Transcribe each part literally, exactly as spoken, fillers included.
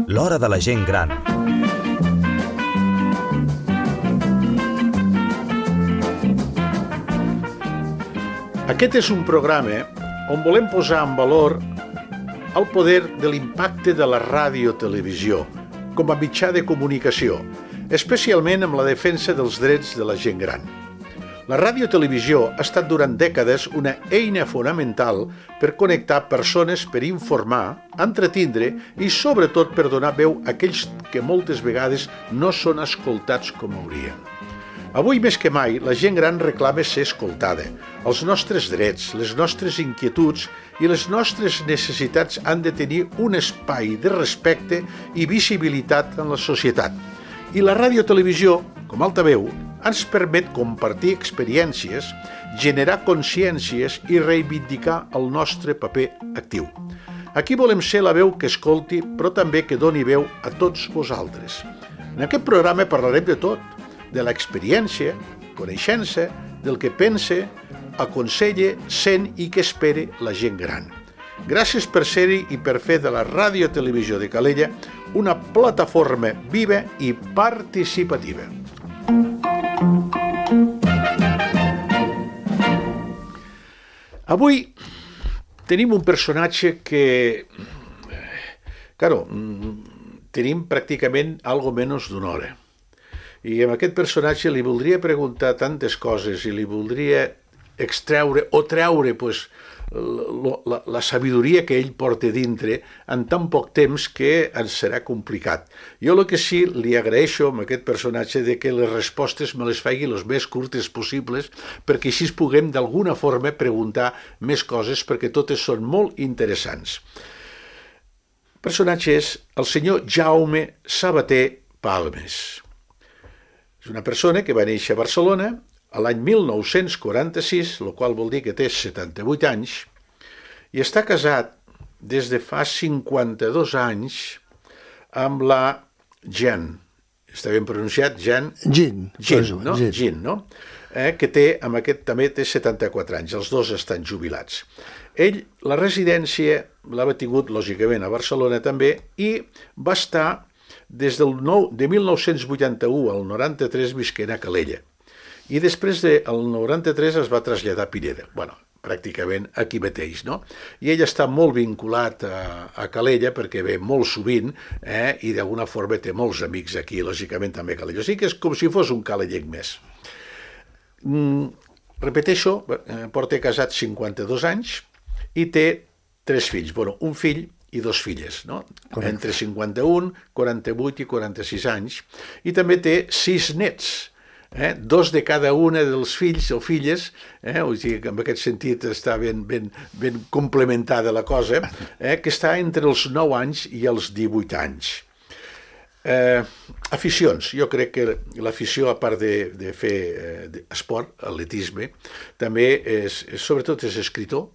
L'hora de la gent gran. Aquest és un programa on volem posar en valor el poder de l'impacte de la ràdio-televisió com a mitjà de comunicació, especialment amb la defensa dels drets de la gent gran. La ràdio-televisió ha estat durant dècades una eina fonamental per connectar persones, per informar, entretindre i sobretot per donar veu a aquells que moltes vegades no són escoltats com haurien. Avui més que mai, la gent gran reclama ser escoltada. Els nostres drets, les nostres inquietuds i les nostres necessitats han de tenir un espai de respecte i visibilitat en la societat. I la ràdio-televisió, com altaveu, ens permet compartir experiències, generar consciències i reivindicar el nostre paper actiu. Aquí volem ser la veu que escolti, però també que doni veu a tots vosaltres. En aquest programa parlarem de tot, de l'experiència, coneixença, del que pense, aconsella, sent i que espera la gent gran. Gràcies per ser-hi i per fer de la ràdio-televisió de Calella una plataforma viva i participativa. Avui tenim un personatge que, claro, tenim pràcticament algo menys d'una hora. I amb aquest personatge li voldria preguntar tantes coses i li voldria extreure o treure pues, la, la, la sabidoria que ell porta dintre en tan poc temps que ens serà complicat. Jo el que sí li agraeixo amb aquest personatge de que les respostes me les faci les més curtes possibles perquè així puguem d'alguna forma preguntar més coses perquè totes són molt interessants. El personatge és el senyor Jaume Sabater Palmes. És una persona que va néixer a Barcelona a l'any mil nou-cents quaranta-sis, el qual vol dir que té setanta-vuit anys, i està casat des de fa cinquanta-dos anys amb la Jean. Està ben pronunciat? Jean? Jean. Jean, no? Jean, Jean, no? Eh, que té, amb aquest també té setanta-quatre anys, els dos estan jubilats. Ell, la residència l'ha tingut, lògicament, a Barcelona també, i va estar des del nou, de mil nou-cents vuitanta-u al noranta-tres visquent a Calella. I després del noranta-tres es va traslladar a Pineda. Bueno, pràcticament aquí mateix, no? I ell està molt vinculat a, a Calella perquè ve molt sovint eh, i d'alguna forma té molts amics aquí, lògicament també a Calella. O sigui que és com si fos un calellenc més. Mm, repeteixo, porta casat cinquanta-dos anys i té tres fills. Bueno, un fill i dos filles, no? Correcte. Entre cinquanta-un, quaranta-vuit i quaranta-sis anys, i també té sis nets, eh? Dos de cada una dels fills o filles, eh? O sigui que en aquest sentit està ben, ben, ben complementada la cosa, eh? Que està entre els nou anys i els divuit anys. Eh, aficions, jo crec que l'afició, a part de, de fer eh, esport, atletisme, també és, sobretot és escritor,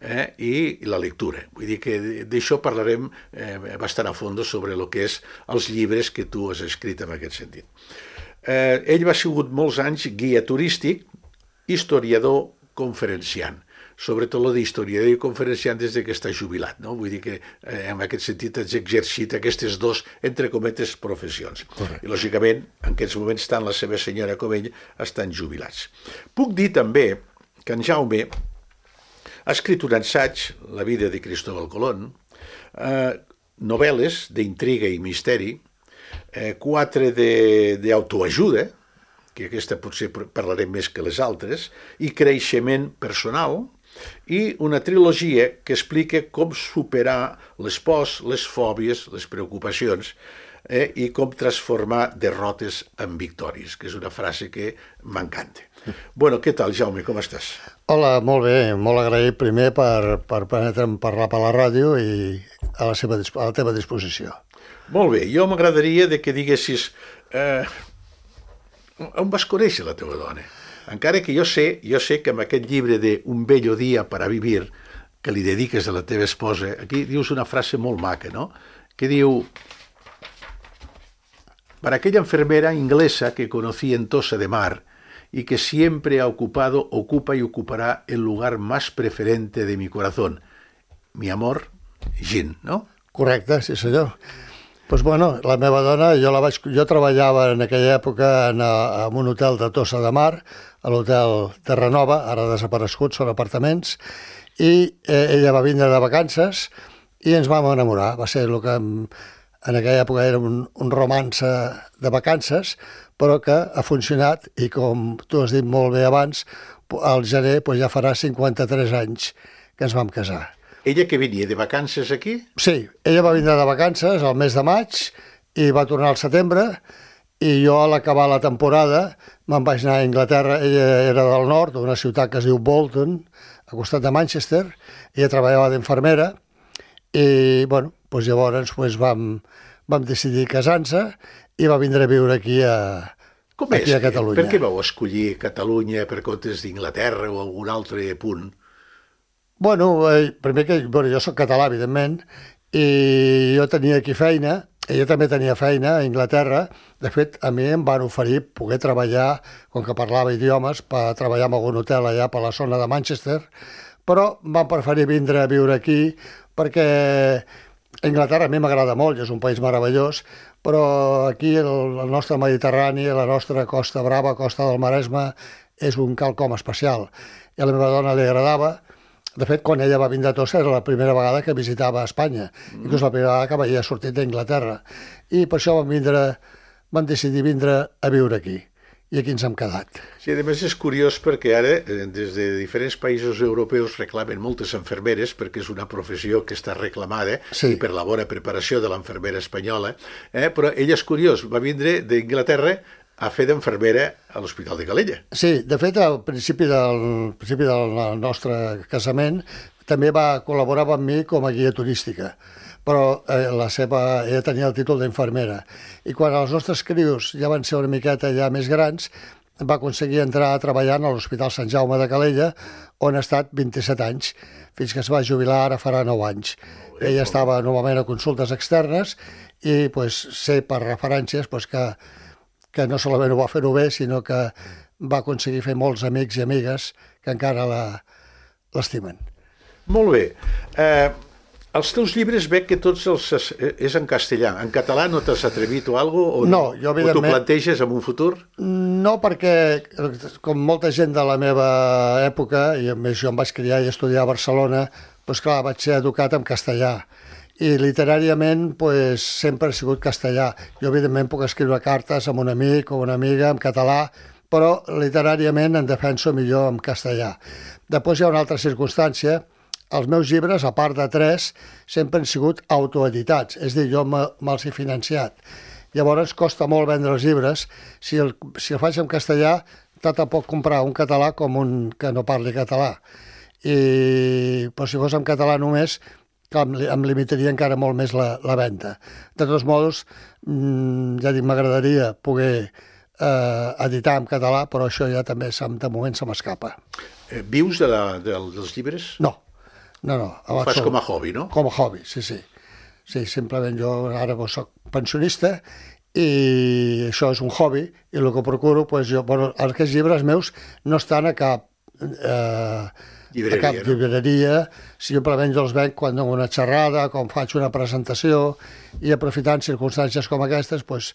Eh, i la lectura. Vull dir que d'això parlarem eh, bastant a fons sobre el que és els llibres que tu has escrit en aquest sentit. Eh, ell va sigut molts anys guia turístic, historiador, conferenciant. Sobretot el d'historiador i conferenciant des que està jubilat, no? Vull dir que eh, en aquest sentit has exercit aquestes dos, entre cometes, professions. Correcte. I lògicament, en aquests moments tant la seva senyora com ell estan jubilats. Puc dir també que en Jaume ha escrit un assaig, La vida de Cristóbal Colón, eh, novel·les d'intriga i misteri, eh, quatre d'autoajuda, que aquesta potser parlarem més que les altres, i creixement personal, i una trilogia que explica com superar les pors, les fòbies, les preocupacions, eh, i com transformar derrotes en victòries, que és una frase que m'encanta. Bueno, què tal, Jaume, com estàs? Hola, molt bé, molt agraït primer per, per permetre'm parlar per la ràdio i a la, seva, a la teva disposició. Molt bé, jo m'agradaria de que diguessis eh, on vas conèixer la teva dona? Encara que jo sé, jo sé que amb aquest llibre de Un bello día para vivir, que li dediques a la teva esposa, aquí dius una frase molt maca, no? Que diu: para aquella enfermera inglesa que conocí en Tossa de Mar y que siempre ha ocupado, ocupa y ocupará el lugar más preferente de mi corazón. Mi amor, Jean, no? Correcte, sí senyor. Doncs bueno, la meva dona, jo, la vaig, jo treballava en aquella època en, a, en un hotel de Tossa de Mar, a l'hotel Terranova, ara desaparegut, són apartaments, i eh, ella va vindre de vacances i ens vam enamorar. Va ser el que en, en aquella època era un, un romance de vacances, però que ha funcionat i, com tu has dit molt bé abans, al gener pues, ja farà cinquanta-tres anys que ens vam casar. Ella que venia de vacances aquí? Sí, ella va vindre de vacances al mes de maig i va tornar al setembre, i jo a l'acabar la temporada me'n vaig anar a Anglaterra. Ella era del nord, d'una ciutat que es diu Bolton, al costat de Manchester. Ella treballava d'infermera i bueno, doncs llavors doncs vam, vam decidir casar-se i va vindre a viure aquí a, Com aquí és? a Catalunya. Per què vau escollir Catalunya per comptes d'Inglaterra o algun altre punt? Bueno, eh, primer que bueno, jo soc català, evidentment, i jo tenia aquí feina, ella també tenia feina a Anglaterra. De fet, a mi em van oferir poder treballar, com que parlava idiomes, per treballar en algun hotel allà per la zona de Manchester, però van preferir vindre a viure aquí perquè Anglaterra a mi m'agrada molt, és un país meravellós, però aquí el, el nostre Mediterrani, la nostra Costa Brava, Costa del Maresme, és un quelcom especial. I a la meva dona li agradava. De fet, quan ella va vindre a Tossa era la primera vegada que visitava Espanya, mm. inclús la primera vegada que havia sortit d'Anglaterra. I per això vam, vindre, vam decidir vindre a viure aquí. I aquí ens hem quedat. Sí, a més és curiós perquè ara, des de diferents països europeus reclamen moltes infermeres, perquè és una professió que està reclamada, sí. i per la bona preparació de l'infermera espanyola, eh? Però ella és curiós, va vindre d'Anglaterra a fer d'infermera a l'Hospital de Calella. Sí, de fet, al principi del, principi del nostre casament també va col·laborar amb mi com a guia turística, però eh, la seva, ella tenia el títol d'infermera. I quan els nostres crios ja van ser una miqueta ja més grans, va aconseguir entrar a treballar a l'Hospital Sant Jaume de Calella, on ha estat vint-i-set anys, fins que es va jubilar, ara farà nou anys. Bé, ella estava normalment a consultes externes i pues, sé per referències pues, que que no solament ho va fer-ho bé, sinó que va aconseguir fer molts amics i amigues que encara l'estimen. Molt bé. Eh, els teus llibres veig que tots els és en castellà. En català no t'has atrevit o alguna cosa? No, jo evidentment... O t'ho planteges en un futur? No, perquè com molta gent de la meva època, i a més jo em vaig criar i estudiar a Barcelona, doncs clar, vaig ser educat en castellà. I literàriament pues, sempre ha sigut castellà. Jo, evidentment, puc escriure cartes amb un amic o una amiga en català, però literàriament em defenso millor en castellà. Després hi ha una altra circumstància. Els meus llibres, a part de tres, sempre han sigut autoeditats, és a dir, jo me'ls he financiat. Llavors costa molt vendre els llibres. Si el, si el faig en castellà, tant te pot comprar un català com un que no parli català. I però si fos en català només, que em limitaria encara molt més la, la venda. De tots modos, ja dic, m'agradaria poder eh, editar en català, però això ja també de moment se m'escapa. Eh, vius de la, de, dels llibres? No, no, no. Ho fas com a hobby, no? Com a hobby, sí, sí. Sí, simplement jo ara soc pensionista i això és un hobby i el que procuro, doncs jo, bueno, aquests llibres meus no estan a cap... Eh, Llibreria, a cap llibreria, no? Simplement jo els venc quan dono una xerrada, quan faig una presentació, i aprofitant circumstàncies com aquestes, doncs,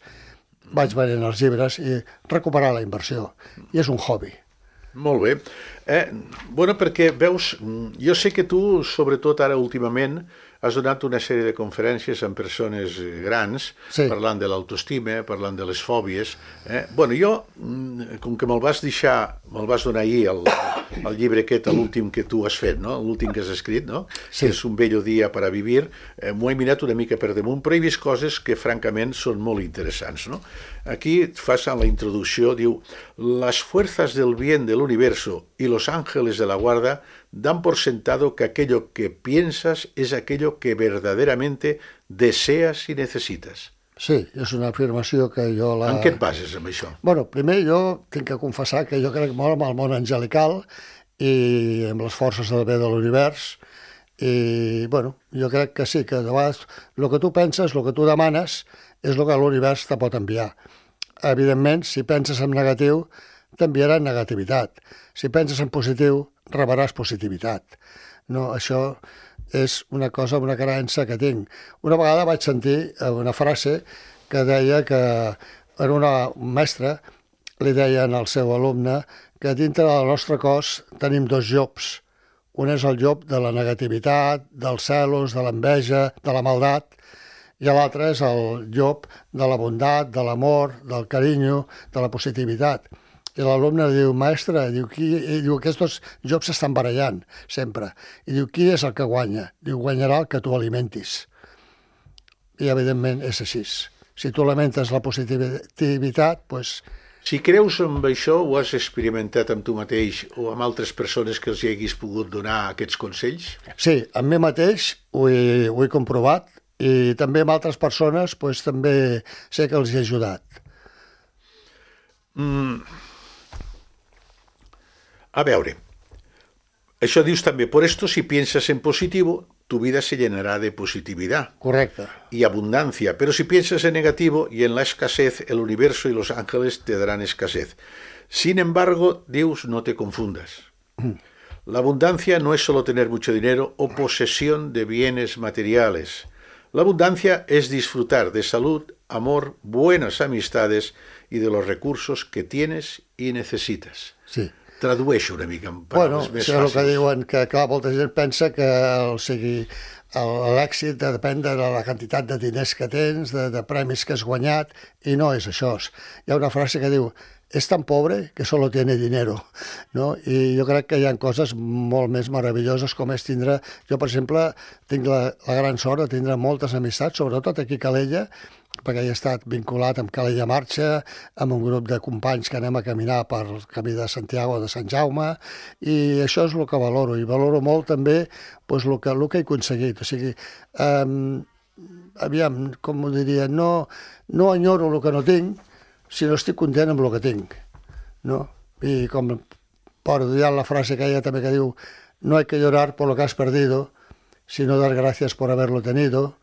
vaig venent els llibres i recuperar la inversió. I és un hobby. Molt bé. Eh, bueno, perquè veus, jo sé que tu, sobretot ara últimament, has donat una sèrie de conferències amb persones grans, sí. Parlant de l'autoestima, parlant de les fòbies. Eh? Bueno, jo, com que me'l vas deixar, me'l vas donar ahir, el, el llibre aquest, l'últim que tu has fet, no? L'últim que has escrit, no? Sí. Que és Un bello dia para vivir, eh, m'ho he mirat una mica per damunt, però he vist coses que, francament, són molt interessants, no? Aquí et fas en la introducció, diu, las fuerzas del bien del universo y los ángeles de la guarda dan por sentado que aquello que piensas es aquello que verdaderamente deseas y necesitas. Sí, és una afirmació que jo la... En què et bases amb això? Bueno, primer jo tinc que confessar que jo crec molt en el món angelical i amb les forces del bé de l'univers i, bueno, jo crec que sí, que de vegades el que tu penses, el que tu demanes és el que l'univers te pot enviar. Evidentment, si penses en negatiu, t'enviaran negativitat. Si penses en positiu, rebràs positivitat. No, això és una cosa, una creença que tinc. Una vegada vaig sentir una frase que deia que era una mestra, li deien al seu alumne que dintre del nostre cos tenim dos llops. Un és el llop de la negativitat, dels celos, de l'enveja, de la maldat, i l'altre és el llop de la bondat, de l'amor, del carinyo, de la positivitat. I l'alumne diu, mestre, diu, qui, diu, aquests dos llops s'estan barallant, sempre. I diu, qui és el que guanya? Diu, guanyarà el que tu alimentis. I, evidentment, és així. Si tu alimentes la positivitat, doncs... Si creus en això, ho has experimentat amb tu mateix o amb altres persones que els hi haguis pogut donar aquests consells? Sí, amb mi mateix ho he, ho he comprovat i també amb altres persones doncs, també sé que els he ajudat. Mm. A veure, això dius també, por esto si piensas en positivo, tu vida se llenará de positividad. Correcte. Y abundancia. Pero si piensas en negativo y en la escasez, el universo y los ángeles te darán escasez. Sin embargo, Dios, no te confundas. La abundancia no es solo tener mucho dinero o posesión de bienes materiales. La abundancia es disfrutar de salud, amor, buenas amistades y de los recursos que tienes y necesitas. Sí. Tradueixo una mica en paraules bueno, més fàcils. Bueno, que diuen que, clar, molta gent pensa que o sigui, l'èxit depèn de la quantitat de diners que tens, de, de premis que has guanyat, i no és això. Hi ha una frase que diu, és tan pobre que solo tiene dinero, no? I jo crec que hi ha coses molt més meravelloses com és tindre... Jo, per exemple, tinc la, la gran sort de tindre moltes amistats, sobretot aquí a Calella, perquè he estat vinculat amb Calella Marxa, amb un grup de companys que anem a caminar per el camí de Santiago de Sant Jaume, i això és el que valoro, i valoro molt també doncs, el, que, el que he aconseguit. O sigui, eh, aviam, com ho diria, no, no enyoro el que no tinc, sinó estic content amb el que tinc. No? I com por dir la frase que ella també que diu, no hay que llorar por lo que has perdido, sino dar gracias por haberlo tenido,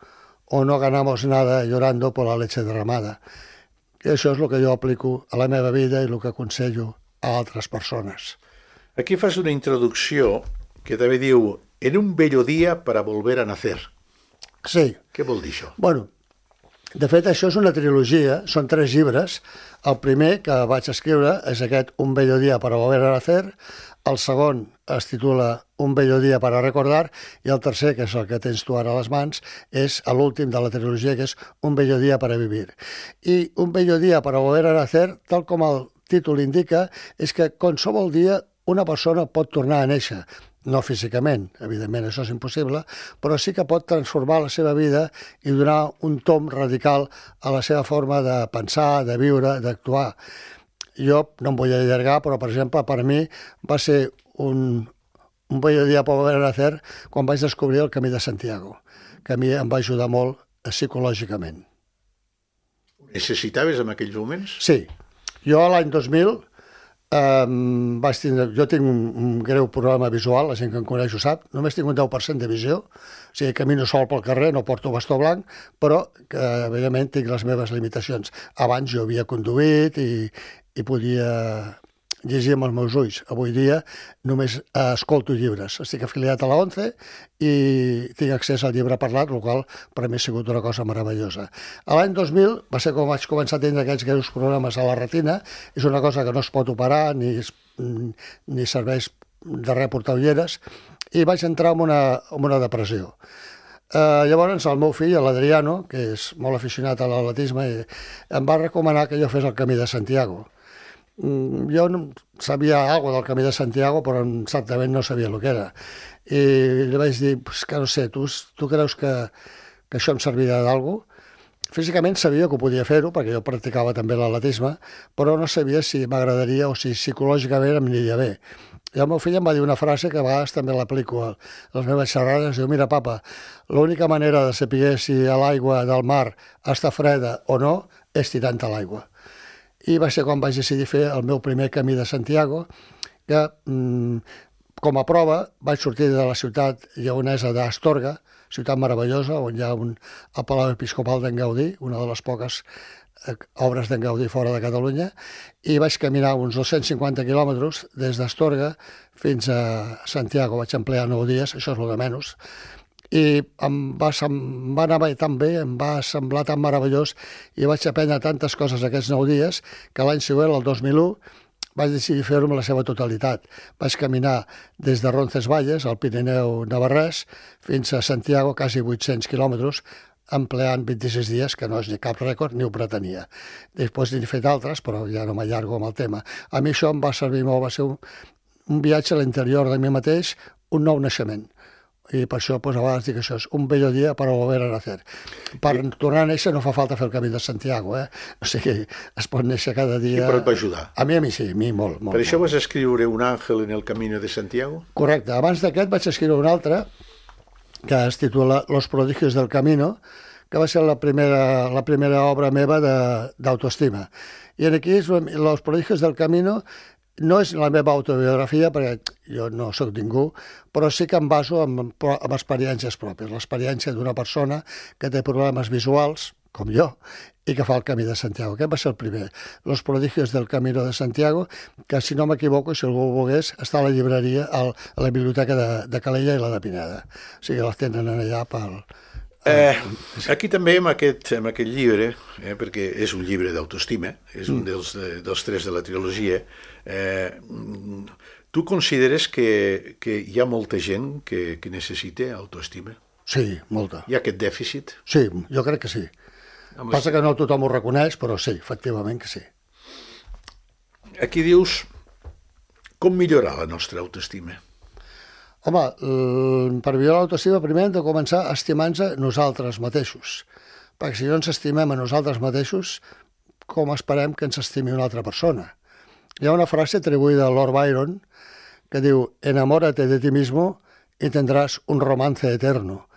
o no ganamos nada llorando por la leche derramada. I això és el que jo aplico a la meva vida i el que aconsello a altres persones. Aquí fas una introducció que també diu en un bello día para volver a nacer. Sí. Què vol dir això? Bueno, de fet, això és una trilogia, són tres llibres. El primer que vaig escriure és aquest Un bello día para volver a nacer, el segon es titula Un bello día para recordar i el tercer, que és el que tens tu ara a les mans, és l'últim de la trilogia, que és Un bello día para vivir. I Un bello día para volver a nacer, tal com el títol indica, és que qualsevol dia una persona pot tornar a néixer. No físicament, evidentment, això és impossible, però sí que pot transformar la seva vida i donar un tomb radical a la seva forma de pensar, de viure, d'actuar. Jo no em vull allargar, però, per exemple, per mi va ser un, un bello dia per volver a nacer quan vaig descobrir el Camí de Santiago, que a mi em va ajudar molt psicològicament. Necessitaves en aquells moments? Sí. Jo l'any dos mil Um, vaig tindre, jo tinc un, un greu problema visual, la gent que em coneix ho sap, només tinc un deu per cent de visió, o sigui, camino sol pel carrer, no porto bastó blanc, però que, evidentment, tinc les meves limitacions. Abans jo havia conduït i, i podia llegir amb els meus ulls. Avui dia només escolto llibres. Estic afiliat a la ONCE i tinc accés al llibre parlat, el qual per a mi ha sigut una cosa meravellosa. L'any dos mil va ser com vaig començar a tindre aquests greus problemes a la retina. És una cosa que no es pot operar ni, ni serveix de res portar ulleres, i vaig entrar en una, en una depressió. Uh, llavors el meu fill, l'Adriano, que és molt aficionat a l'atletisme, em va recomanar que jo fes el Camí de Santiago. Jo no sabia alguna del Camí de Santiago, però exactament no sabia el que era. I li vaig dir, pues, que no sé, tu, tu creus que, que això em servirà d'alguna cosa? Físicament sabia que ho podia fer-ho, perquè jo practicava també l'atletisme, però no sabia si m'agradaria o si psicològicament em aniria bé. I el meu fill em va dir una frase que a vegades també l'aplico a les meves xerrades. Diu, mira, papa, l'única manera de saber si l'aigua del mar està freda o no és tirant a l'aigua. I va ser quan vaig decidir fer el meu primer Camí de Santiago, que, com a prova, vaig sortir de la ciutat lleonesa d'Astorga, ciutat meravellosa, on hi ha un, el Palau Episcopal d'en Gaudí, una de les poques eh, obres d'en Gaudí fora de Catalunya, i vaig caminar uns dos-cents cinquanta quilòmetres des d'Astorga fins a Santiago. Vaig emplear nou dies, això és el de menys, i em va, em va anar tan bé, em va semblar tan meravellós, i vaig aprendre tantes coses aquests nou dies, que l'any següent, el dos mil u, vaig decidir fer-ho amb la seva totalitat. Vaig caminar des de Roncesvalles, al Pirineu navarrès, fins a Santiago, quasi vuit-cents quilòmetres, empleant vint-i-sis dies, que no és ni cap rècord, ni ho pretenia. Després n'he fet altres, però ja no m'allargo amb el tema. A mi això em va servir molt, va ser un, un viatge a l'interior de mi mateix, un nou naixement. I per això, doncs, a vegades dic això, és un bello dia per volver a nacer. Per I... tornar a néixer no fa falta fer el camí de Santiago, eh? O sigui, es pot néixer cada dia... I però et va ajudar. A mi, a mi sí, a mi molt. molt per això molt. vas escriure Un àngel en el camino de Santiago? Correcte. Abans d'aquest vaig escriure un altre, que es titula Los prodigios del camino, que va ser la primera, la primera obra meva d'autoestima. I aquí, Los prodigios del camino, no és la meva autobiografia, perquè jo no sóc ningú, però sí que em baso en, en experiències pròpies. L'experiència d'una persona que té problemes visuals, com jo, i que fa el Camí de Santiago. Aquest va ser el primer. Los prodigios del Camino de Santiago, que, si no m'equivoco, si algú ho volgués, està a la llibreria, a la biblioteca de, de Calella i la de Pineda. O sigui, les tenen allà pel... Eh, aquí també, amb aquest, amb aquest llibre, eh, perquè és un llibre d'autoestima, és un dels, dels tres de la trilogia, eh, tu consideres que, que hi ha molta gent que, que necessita autoestima? Sí, molta. Hi ha aquest dèficit? Sí, jo crec que sí. Amb Passa les... que no tothom ho reconeix, però sí, efectivament que sí. Aquí dius, com millorar la nostra autoestima? Home, per millorar l'autoestima primer hem de començar estimant-nos nosaltres mateixos, perquè si no ens estimem a nosaltres mateixos, com esperem que ens estimi una altra persona? Hi ha una frase atribuïda a Lord Byron que diu «Enamórate de ti mismo y tendrás un romance eterno».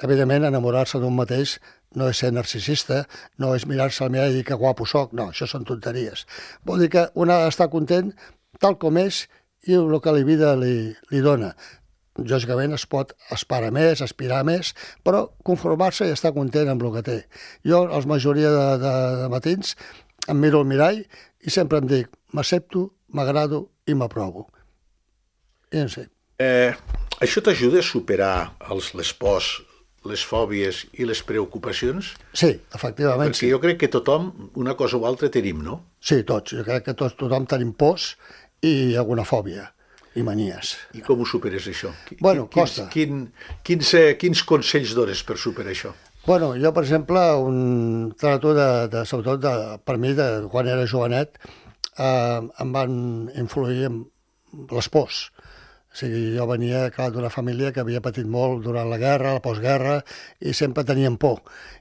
Evidentment, enamorar-se d'un mateix no és ser narcisista, no és mirar-se al mirall i dir que guapo soc, no, això són tonteries. Vol dir que un ha d'estar content tal com és i el que la vida li, li dona. Lògicament es pot esperar més, aspirar més, però conformar-se i estar content amb el que té. Jo, a la majoria de, de, de matins, em miro al mirall i sempre em dic m'accepto, m'agrado i m'aprovo. I no sé. Eh, això t'ajuda a superar els, les pors, les fòbies i les preocupacions? Sí, efectivament. Perquè sí. Jo crec que tothom, una cosa o altra, tenim, no? Sí, tots. Jo crec que tots, tothom tenim pors i alguna fòbia i manies. I com ho superes, això? Bueno, quins, costa. Quin, quins, quins consells dones per superar això? Bueno, jo, per exemple, un trato de, de sobretot de, per mi, de, quan era jovenet, eh, em van influir les pors. O sigui, jo venia, clar, d'una família que havia patit molt durant la guerra, la postguerra, i sempre tenien por.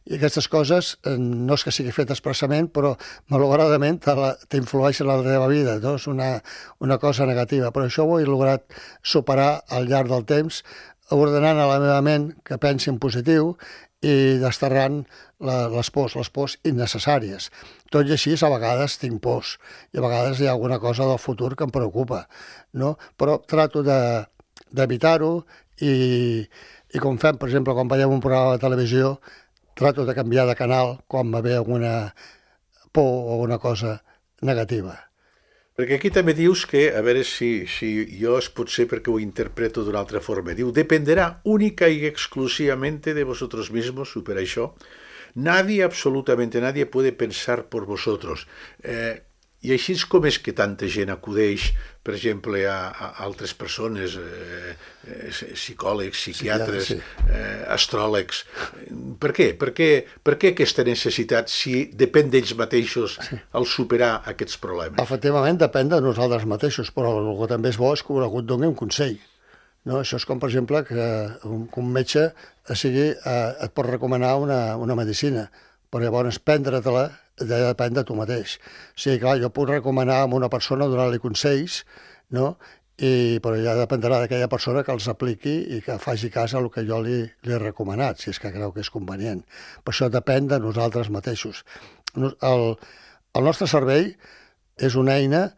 I aquestes coses, no és que sigui fet expressament, però malauradament t'influeixen en la teva vida, no? És una, una cosa negativa. Però això ho he lograt superar al llarg del temps, ordenant a la meva ment que pensi en positiu i desterrant la, les pors, les pors innecessàries. Tot i així, a vegades tinc pors, i a vegades hi ha alguna cosa del futur que em preocupa, no? Però trato d'evitar-ho i, i com fem, per exemple, quan veiem un programa de televisió, trato de canviar de canal quan me ve alguna por o alguna cosa negativa. Perquè aquí també dius que, a veure si, si jo es pot ser perquè ho interpreto d'una altra forma, diu, dependerá única y exclusivamente de vosotros mismos, supera això. Nadie, absolutamente nadie, puede pensar por vosotros. Eh, I així és com és que tanta gent acudeix, per exemple, a, a altres persones, eh, eh, psicòlegs, psiquiatres, sí, sí. Eh, astròlegs. Per què? Per què? Per què aquesta necessitat si depèn d'ells mateixos al superar aquests problemes? Efectivament, depèn de nosaltres mateixos, però el que també és bo és que algú et doni un consell. No? Això és com, per exemple, que un, que un metge sigui, eh, et pot recomanar una, una medicina, però llavors prendre-te-la depèn de tu mateix. O sigui, clar, jo puc recomanar a una persona, donar-li consells, no? I, però ja dependrà d'aquella persona que els apliqui i que faci cas al que jo li, li he recomanat, si és que creu que és convenient. Per això depèn de nosaltres mateixos. El, el nostre cervell és una eina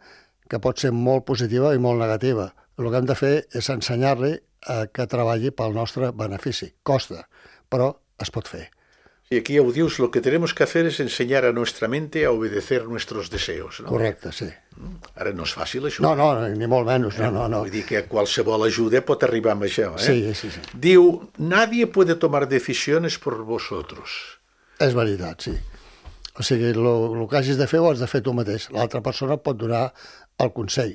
que pot ser molt positiva i molt negativa. El que hem de fer és ensenyar-li a que treballi pel nostre benefici. Costa, però es pot fer. Y aquí ya dius, lo que tenemos que hacer es enseñar a nuestra mente a obedecer nuestros deseos. No? Correcte, sí. Ara no és fàcil, això. No, no, ni molt menys, no, no, no. Vull dir que qualsevol ajuda pot arribar amb això. Eh? Sí, sí, sí. Diu, nadie puede tomar decisiones por vosotros. És veritat, sí. O sigui, el que hagis de fer ho has de fer tu mateix. L'altra persona pot donar el consell,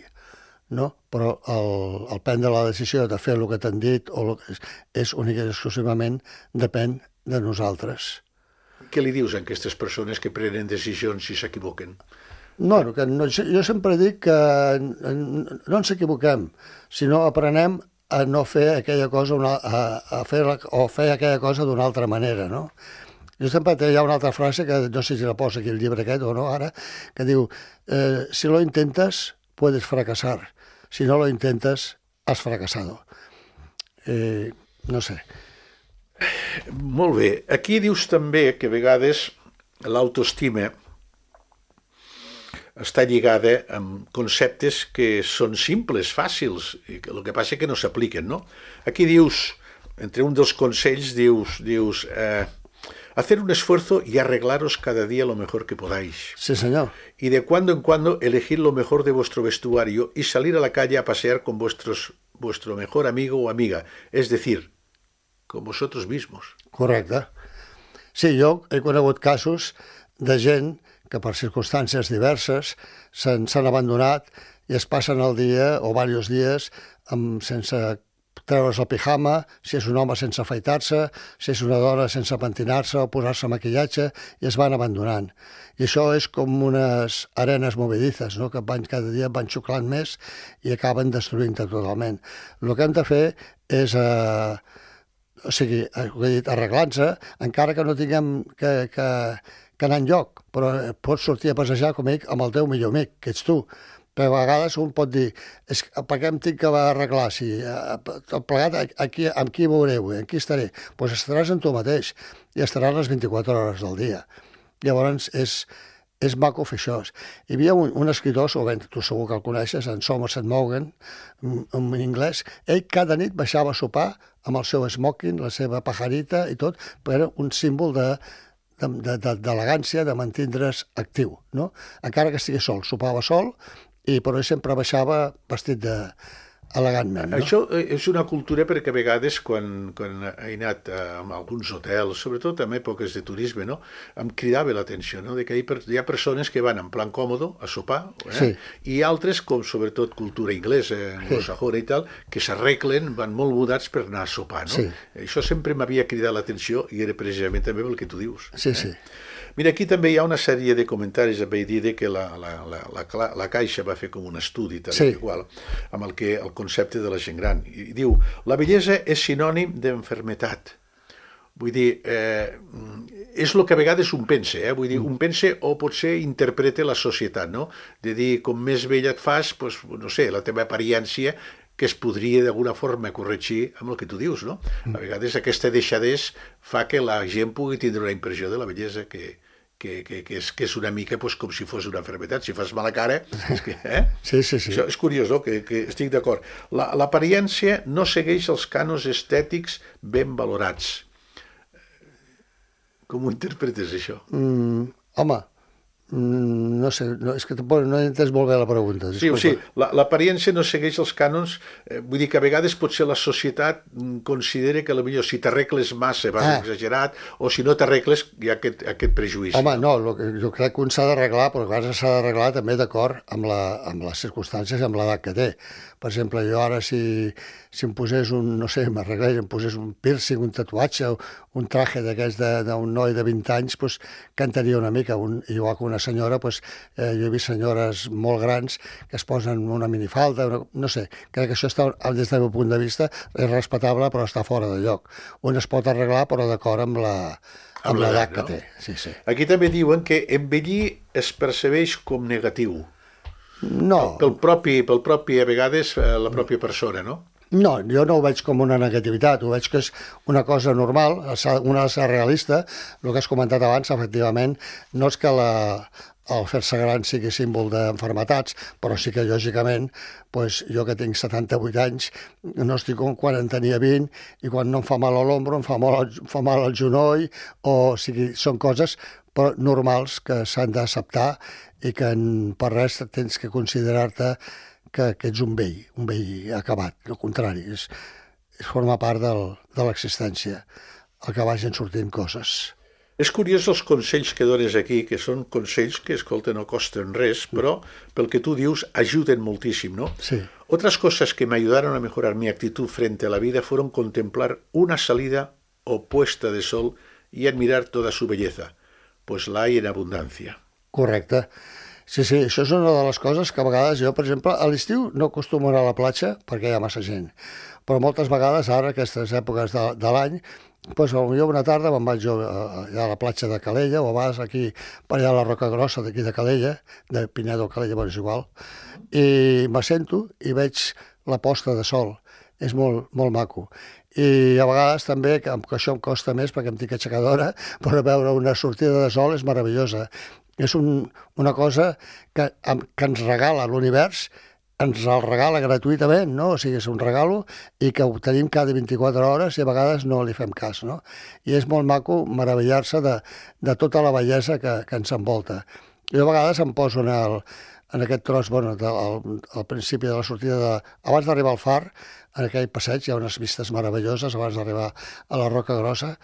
no? Però el, el prendre la decisió de fer el que t'han dit o el que és, és únic i exclusivament depèn de nosaltres. Què li dius a aquestes persones que prenen decisions i s'equivoquen? No, que no, jo sempre dic que no ens equivoquem, sinó aprenem a no fer aquella cosa, una, a, a fer la, o fer aquella cosa d'una altra manera, no? Jo sempre hi ha una altra frase, que no sé si la posa aquí el llibre aquest o no ara, que diu, eh, si lo intentes, puedes fracasar. Si no lo intentes, has fracasado. Eh, no sé. Molt bé. Aquí dius també que a vegades l'autoestima està lligada amb conceptes que són simples, fàcils, i que el que passa és que no s'apliquen, no? Aquí dius, entre un dels consells, dius, dius eh, hacer un esfuerzo y arreglaros cada día lo mejor que podáis. Sí, señor. Y de cuando en cuando elegir lo mejor de vuestro vestuario y salir a la calle a pasear con vuestros, vuestro mejor amigo o amiga. Es decir, com vosaltres mismos. Correcte. Sí, jo he conegut casos de gent que per circumstàncies diverses s'han abandonat i es passen el dia o diversos dies amb, sense treure's el pijama, si és un home sense afaitar-se, si és una dona sense pentinar-se o posar-se maquillatge, i es van abandonant. I això és com unes arenes movedizes, no? Que van, cada dia van xuclant més i acaben destruint-te totalment. El que hem de fer és... Eh, o sigui, arreglant-se, encara que no tinguem que, que, que anar enlloc, però pots sortir a passejar, com dic, amb el teu millor amic, que ets tu. Però a vegades un pot dir, és, per què em tinc que arreglar? Si tot plegat, aquí, amb qui veureu, amb qui estaré? Doncs pues estaràs amb tu mateix i estaràs les vint-i-quatre hores del dia. Llavors és, és maco fer això. Hi havia un, un escriptor, o bé, tu segur que el coneixes, en Somerset Maugham, en anglès. Ell cada nit baixava a sopar amb el seu smoking, la seva pajarita i tot, però un símbol de d'elegància, de, de, de mantindre's actiu, no? Encara que estigués sol, sopava sol, i però ell sempre baixava vestit de elegantment, no? Això és una cultura perquè a vegades quan, quan he anat a, a alguns hotels, sobretot en èpoques de turisme, no? Em cridava l'atenció, no? De que hi ha persones que van en plan còmodo a sopar, eh? Sí. I altres, com sobretot cultura inglesa, anglosajona i tal, que s'arreglen, van molt mudats per anar a sopar, no? Sí. Això sempre m'havia cridat l'atenció i era precisament també el que tu dius. Sí, sí. Eh? Mira, aquí també hi ha una sèrie de comentaris a dir que la, la, la, la, la Caixa va fer com un estudi tal sí. igual, amb el, que, el concepte de la gent gran. I diu, la bellesa és sinònim d'enfermetat. Vull dir, eh, és el que a vegades un pensa, eh? Vull dir, un pensa o potser interpreta la societat, no? De dir, com més vella et fas, doncs, no sé, la teva apariència que es podria d'alguna forma corregir amb el que tu dius, no? A vegades aquesta deixadesa fa que la gent pugui tindre una impressió de la bellesa que, que, que, que, és, que és una mica pues, com si fos una malaltia. Si fas mala cara... És que, eh? Sí, sí, sí. Això és curiós, no? que, que estic d'acord. L'apariència no segueix els cànons estètics ben valorats. Com ho interpretes, això? Mm, home... No sé, no, és que tampoc no he entès molt bé la pregunta. Sí, o sigui, l'apariència no segueix els cànons, eh, vull dir que a vegades potser la societat considera que potser si t'arregles massa vas ah. exagerat, o si no t'arregles hi ha aquest, aquest prejuïci. Home, no, lo que, jo crec que un s'ha d'arreglar, però clar, s'ha d'arreglar també d'acord amb, la, amb les circumstàncies i amb l'edat que té. Per exemple, jo ara si, si em posés un, no sé, m'arreglés, em posés un piercing, un tatuatge, un traje d'aquest d'un noi de vint anys, doncs cantaria una mica, un, igual que una senyora, doncs, eh, jo he vist senyores molt grans que es posen una minifalda, una, no sé, crec que això està, des del meu punt de vista, és respectable, però està fora de lloc. Un es pot arreglar, però d'acord amb la amb l'edat que no? té. Sí, sí. Aquí també diuen que envellir es percebeix com negatiu. No. Pel propi, pel propi, a vegades, la pròpia persona, no? No, jo no ho veig com una negativitat, ho veig que és una cosa normal, una ha de ser realista. El que has comentat abans, efectivament, no és que la, el fer-se gran sigui símbol d'enfermetats, però sí que, lògicament, doncs, jo que tinc setanta-vuit anys, no estic com quan en tenia vint, i quan no em fa mal a l'ombro, em fa mal, em fa mal al genoll, o, o sigui, són coses però normals que s'han d'acceptar i que en, per res tens que considerar-te que, que ets un vell, un vell acabat. Al contrari, és, és forma part del, de l'existència, el que vagin sortint coses. És curiós els consells que dones aquí, que són consells que, escolta, no costen res, però pel que tu dius ajuden moltíssim, ¿no? Sí. Otras cosas que me ayudaron a mejorar mi actitud frente a la vida fueron contemplar una salida o puesta de sol y admirar toda su belleza, pues la hay en abundancia. Correcte. Sí, sí, això és una de les coses que a vegades jo, per exemple, a l'estiu no acostumo a anar a la platja perquè hi ha massa gent, però moltes vegades ara, aquestes èpoques de, de l'any, doncs potser una tarda me'n vaig jo a, a la platja de Calella, o a vegades aquí, per allà a la Roca Grossa d'aquí de Calella, de Pinedo a Calella, bueno, és igual, i m'assento i veig la posta de sol. És molt, molt maco. I a vegades també, que, que això em costa més perquè em tinc aixecar d'hora, però veure una sortida de sol és meravellosa. És un, una cosa que, que ens regala l'univers, ens el regala gratuïtament, no? O sigui, és un regalo i que ho tenim cada vint-i-quatre hores i a vegades no li fem cas, no? I és molt maco meravellar-se de, de tota la bellesa que, que ens envolta. Jo a vegades em poso en, el, en aquest tros, bueno, de, al, al principi de la sortida, de, abans d'arribar al far, en aquell passeig hi ha unes vistes meravelloses abans d'arribar a la Roca Grossa,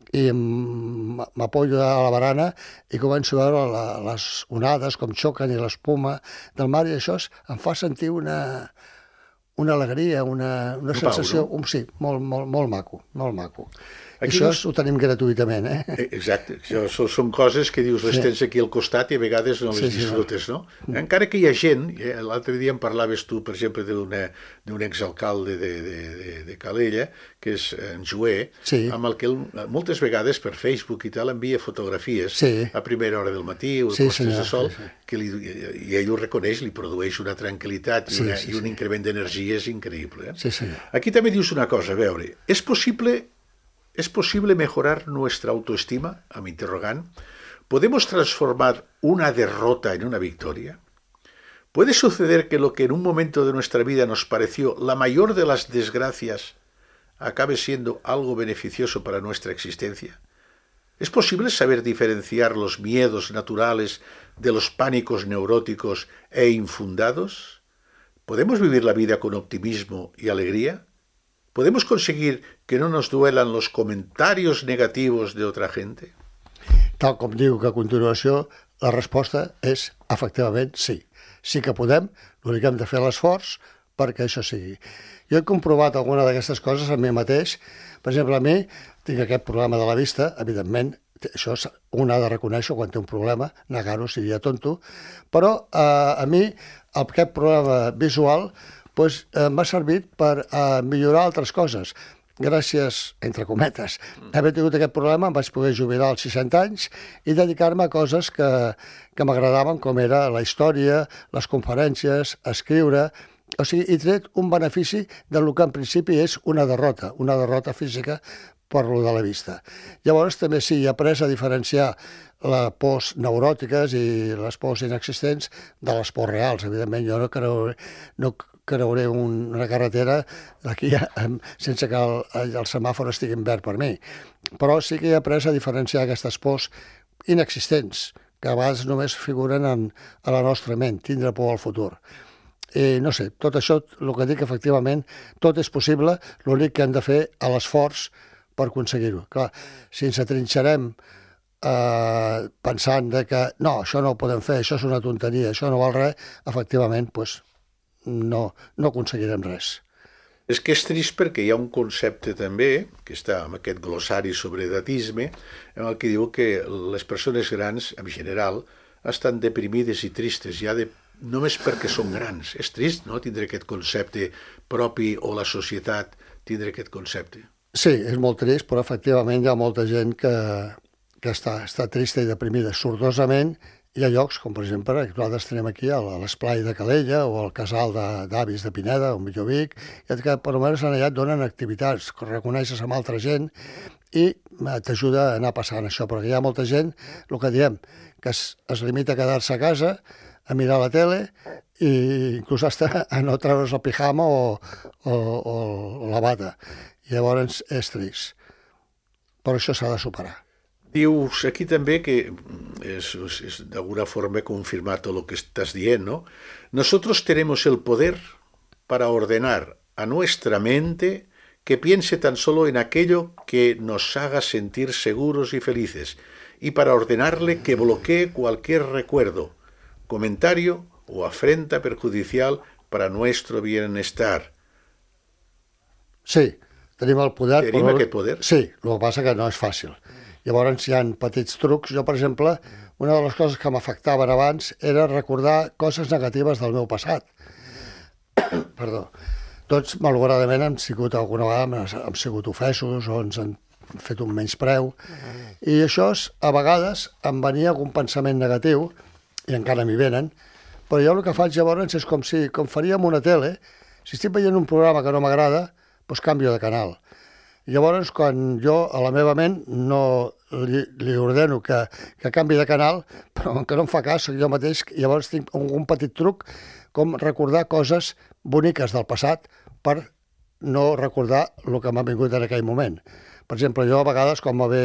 i m'apoyo a la barana i començo a veure la, les onades com xoquen i l'espuma del mar, i això em fa sentir una, una alegria, una, una sensació, Pau, no? un, sí, molt, molt, molt maco, molt maco. Aquí això dos... ho tenim gratuïtament, eh? Exacte, això són coses que dius, les Sí. tens aquí al costat i a vegades no les Sí, sí, disfrutes, no? Encara que hi ha gent, l'altre dia em parlaves tu, per exemple, d'un exalcalde de, de, de, de Calella, que és en Joé, Sí. amb el que ell, moltes vegades per Facebook i tal envia fotografies Sí. a primera hora del matí o Sí, postes senyor, de sol, sí, sí. que li, i ell ho reconeix, li produeix una tranquil·litat i, Sí, una, sí, i un sí. increment d'energies increïble. Eh? Sí, senyor. Aquí també dius una cosa, a veure, és possible... ¿Es posible mejorar nuestra autoestima? A mi interrogant. ¿Podemos transformar una derrota en una victoria? ¿Puede suceder que lo que en un momento de nuestra vida nos pareció la mayor de las desgracias acabe siendo algo beneficioso para nuestra existencia? ¿Es posible saber diferenciar los miedos naturales de los pánicos neuróticos e infundados? ¿Podemos vivir la vida con optimismo y alegría? ¿Podemos conseguir que no nos duelan los comentarios negativos de otra gente? Tal com diu que a continuació, la resposta és, efectivament, sí. Sí que podem, l'únic que hem de fer l'esforç perquè això sigui. Jo he comprovat alguna d'aquestes coses a mi mateix. Per exemple, a mi tinc aquest problema de la vista, evidentment, això un ha de reconèixer quan té un problema, negar-ho seria tonto, però eh, a mi aquest problema visual doncs, eh, m'ha servit per eh, millorar altres coses. Gràcies, entre cometes, haver tingut aquest problema em vaig poder jubilar als seixanta anys i dedicar-me a coses que, que m'agradaven, com era la història, les conferències, escriure. O sigui, he tret un benefici del que en principi és una derrota, una derrota física per lo de la vista. Llavors també sí, he après a diferenciar les pors neuròtiques i les pors inexistents de les pors reals. Evidentment, jo no creuré, no creuré un, una carretera d'aquí sense que el, el semàfor estigui en verd per mi. Però sí que he après a diferenciar aquestes pors inexistents, que a vegades només figuren en, a la nostra ment, tindre por al futur. I no sé, tot això, el que dic, efectivament, tot és possible, l'únic que hem de fer a l'esforç per aconseguir-ho. Clar, si ens atrinxerem eh, pensant de que no, això no ho podem fer, això és una tonteria, això no val res, efectivament, doncs, no, no aconseguirem res. És que és trist perquè hi ha un concepte també, que està en aquest glossari sobre edatisme, en el que diu que les persones grans, en general, estan deprimides i tristes, ja de, només perquè són grans. És trist, no?, tindre aquest concepte propi, o la societat tindre aquest concepte. Sí, és molt trist, però efectivament hi ha molta gent que, que està, està trista i deprimida sortosament hi ha llocs, com per exemple, que nosaltres tenim aquí a l'Esplai de Calella o al casal d'avis de, de Pineda, o millor Vic, i que per almenys allà et donen activitats, que reconeixes amb altra gent i t'ajuda a anar passant això, perquè hi ha molta gent, el que diem, que es, es limita a quedar-se a casa, a mirar la tele i inclús hasta a no treure's el pijama o, o, o, o la bata. I llavors és trist. Però això s'ha de superar. Dius aquí també que es, es de alguna forma confirmar todo lo que estás diciendo, ¿no? Nosotros tenemos el poder para ordenar a nuestra mente que piense tan solo en aquello que nos haga sentir seguros y felices, y para ordenarle que bloquee cualquier recuerdo, comentario o afrenta perjudicial para nuestro bienestar. Sí, tenim el poder. Tenim però... aquest poder? Sí, el que passa que no és fàcil. Llavors hi ha petits trucs. Jo, per exemple, una de les coses que m'afectaven abans era recordar coses negatives del meu passat. Perdó. Tots, malauradament, hem sigut alguna vegada, hem sigut ofesos o ens han fet un menyspreu. I això, a vegades, em venia algun pensament negatiu, i encara m'hi venen, però jo el que faig llavors és com si, com faríem una tele, si estic veient un programa que no m'agrada, doncs canvio de canal. Llavors, quan jo a la meva ment no li, li ordeno que, que canvi de canal, però que no em fa cas, jo mateix, llavors tinc un petit truc com recordar coses boniques del passat per no recordar el que m'ha vingut en aquell moment. Per exemple, jo a vegades, quan me ve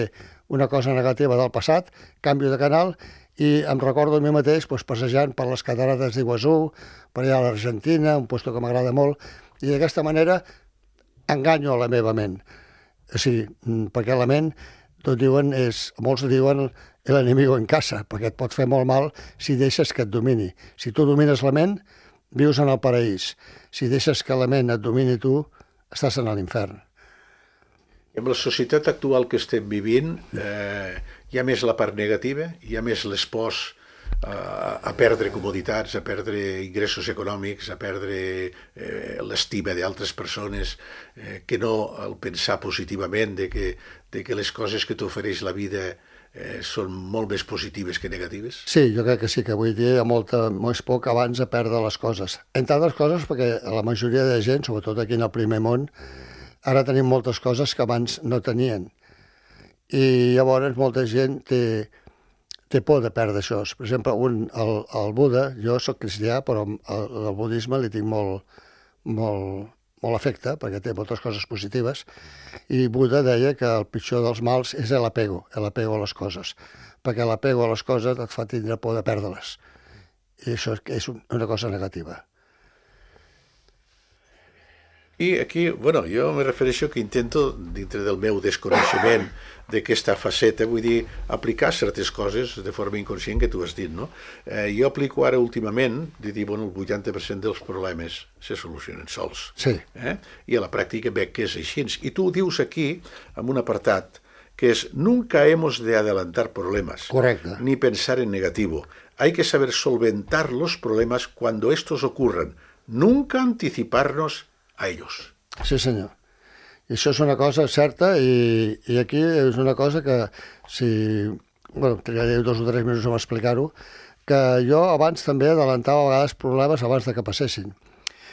una cosa negativa del passat, canvio de canal i em recordo a mi mateix doncs, passejant per les catarates d'Iguazú, per allà a l'Argentina, un lloc que m'agrada molt, i d'aquesta manera enganyo a la meva ment. O sigui, perquè la ment, tot diuen, és, molts diuen l'enemigo en casa, perquè et pot fer molt mal si deixes que et domini. Si tu domines la ment, vius en el paraís. Si deixes que la ment et domini tu, estàs en l'infern. En la societat actual que estem vivint, eh, hi ha més la part negativa, hi ha més l'espòs a, a perdre comoditats, a perdre ingressos econòmics, a perdre eh, l'estima d'altres persones, eh, que no el pensar positivament de que, de que les coses que t'ofereix la vida eh, són molt més positives que negatives? Sí, jo crec que sí, que avui dia hi ha molta, més poc abans a perdre les coses. Entre altres coses perquè la majoria de gent, sobretot aquí en el primer món, ara tenim moltes coses que abans no tenien. I llavors molta gent té, té por de perdre això. Per exemple, un, el, el Buda, jo sóc cristià, però al, al budisme li tinc molt, molt, molt afecte, perquè té moltes coses positives, i Buda deia que el pitjor dels mals és l'apego, l'apego a les coses, perquè l'apego a les coses et fa tindre por de perdre-les. I això és una cosa negativa. I aquí, bueno, jo me refereixo que intento, dintre del meu desconeixement d'aquesta faceta, vull dir, aplicar certes coses de forma inconscient que tu has dit, no? Eh, jo aplico ara últimament, de dir, bueno, el vuitanta per cent dels problemes se solucionen sols. Sí. Eh? I a la pràctica veig que és així. I tu dius aquí, en un apartat, que és, nunca hemos de adelantar problemas. Correcte. Ni pensar en negativo. Hay que saber solventar los problemas cuando estos ocurran. Nunca anticiparnos a ellos. Sí, senyor. I això és una cosa certa i, i aquí és una cosa que si... Bueno, triaré dos o tres minuts a explicar-ho, que jo abans també adelantava a vegades problemes abans de que passessin.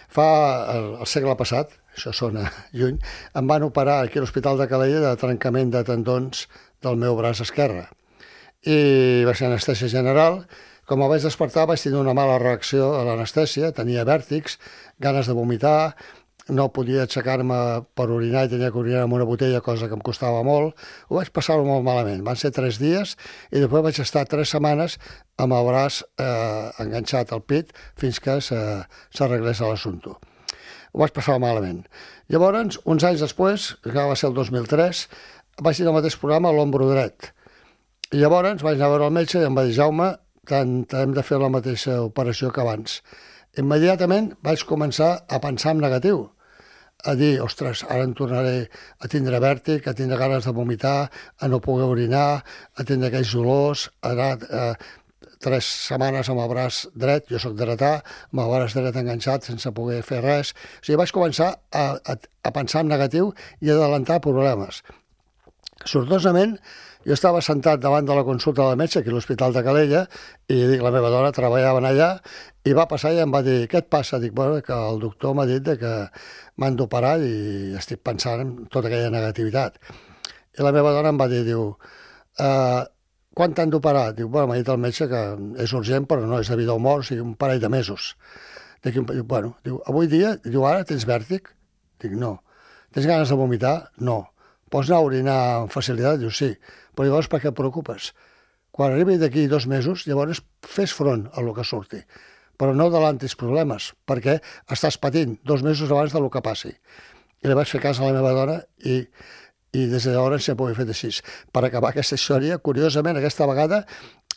Fa el, el segle passat, això sona lluny, em van operar aquí a l'Hospital de Calella de trencament de tendons del meu braç esquerre. I va ser anestèsia general. Com em vaig despertar vaig tenir una mala reacció a l'anestèsia, tenia vèrtics, ganes de vomitar, no podia aixecar-me per orinar i tenia que orinar amb una botella, cosa que em costava molt. Ho vaig passar-ho molt malament. Van ser tres dies i després vaig estar tres setmanes amb el braç eh, enganxat al pit fins que s'arreglés l'assumpte. Ho vaig passar malament. Llavors, uns anys després, que va ser el dos mil tres, vaig tenir el mateix programa a l'ombro dret. I llavors vaig anar a veure el metge i em va dir, Jaume, tant hem de fer la mateixa operació que abans. Immediatament vaig començar a pensar en negatiu, a dir, ostres, ara em tornaré a tindre vèrtic, a tindre ganes de vomitar, a no poder orinar, a tindre aquells dolors, a anar eh, tres setmanes amb el braç dret, jo soc dretà, amb el braç dret enganxat sense poder fer res. O sigui, vaig començar a, a, a pensar en negatiu i a adelantar problemes. Sortosament, Jo estava sentat davant de la consulta del metge, aquí a l'Hospital de Calella, i dic, la meva dona treballaven allà, i va passar i em va dir, què et passa? Dic, bueno, que el doctor m'ha dit que m'han d'operar i estic pensant en tota aquella negativitat. I la meva dona em va dir, diu, uh, quan t'han d'operar? Diu, bueno, m'ha dit el metge que és urgent, però no és de vida o mort, o sigui, un parell de mesos. Dic, bueno, diu, avui dia, diu, ara tens vèrtic? Dic, no. Tens ganes de vomitar? No. Pots anar a orinar amb facilitat? Diu, sí. Però llavors per què et preocupes? Quan arribi d'aquí dos mesos, llavors fes front a lo que surti. Però no adelantis problemes, perquè estàs patint dos mesos abans del que passi. I li vaig fer cas a la meva dona i, i des de llavors sempre ho he fet així. Per acabar aquesta història, curiosament, aquesta vegada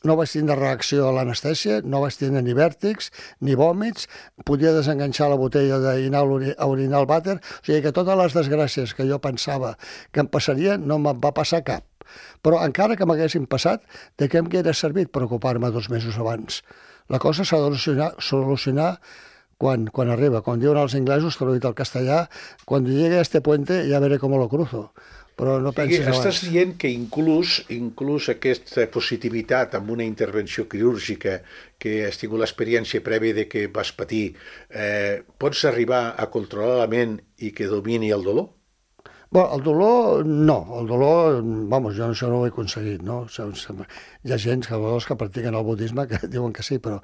no vaig tindre reacció a l'anestèsia, no vaig tindre ni vèrtics, ni vòmits, podia desenganxar la botella d'anar a orinar al vàter, o sigui que totes les desgràcies que jo pensava que em passarien no me'n va passar cap. Però encara que m'haguessin passat, de què em hauria servit preocupar-me dos mesos abans? La cosa s'ha de solucionar, solucionar quan, quan arriba. Quan diuen els inglesos, traduït al castellà, quan llegue a este puente ja veré com lo cruzo. Però no pensis abans. Estàs dient que inclús, inclús aquesta positivitat amb una intervenció quirúrgica que has tingut l'experiència prèvia de que vas patir, eh, pots arribar a controlar la ment i que domini el dolor? Bueno, el dolor, no. El dolor, vamos, jo això no ho he aconseguit, no? Hi ha gent que, que practiquen el budisme que diuen que sí, però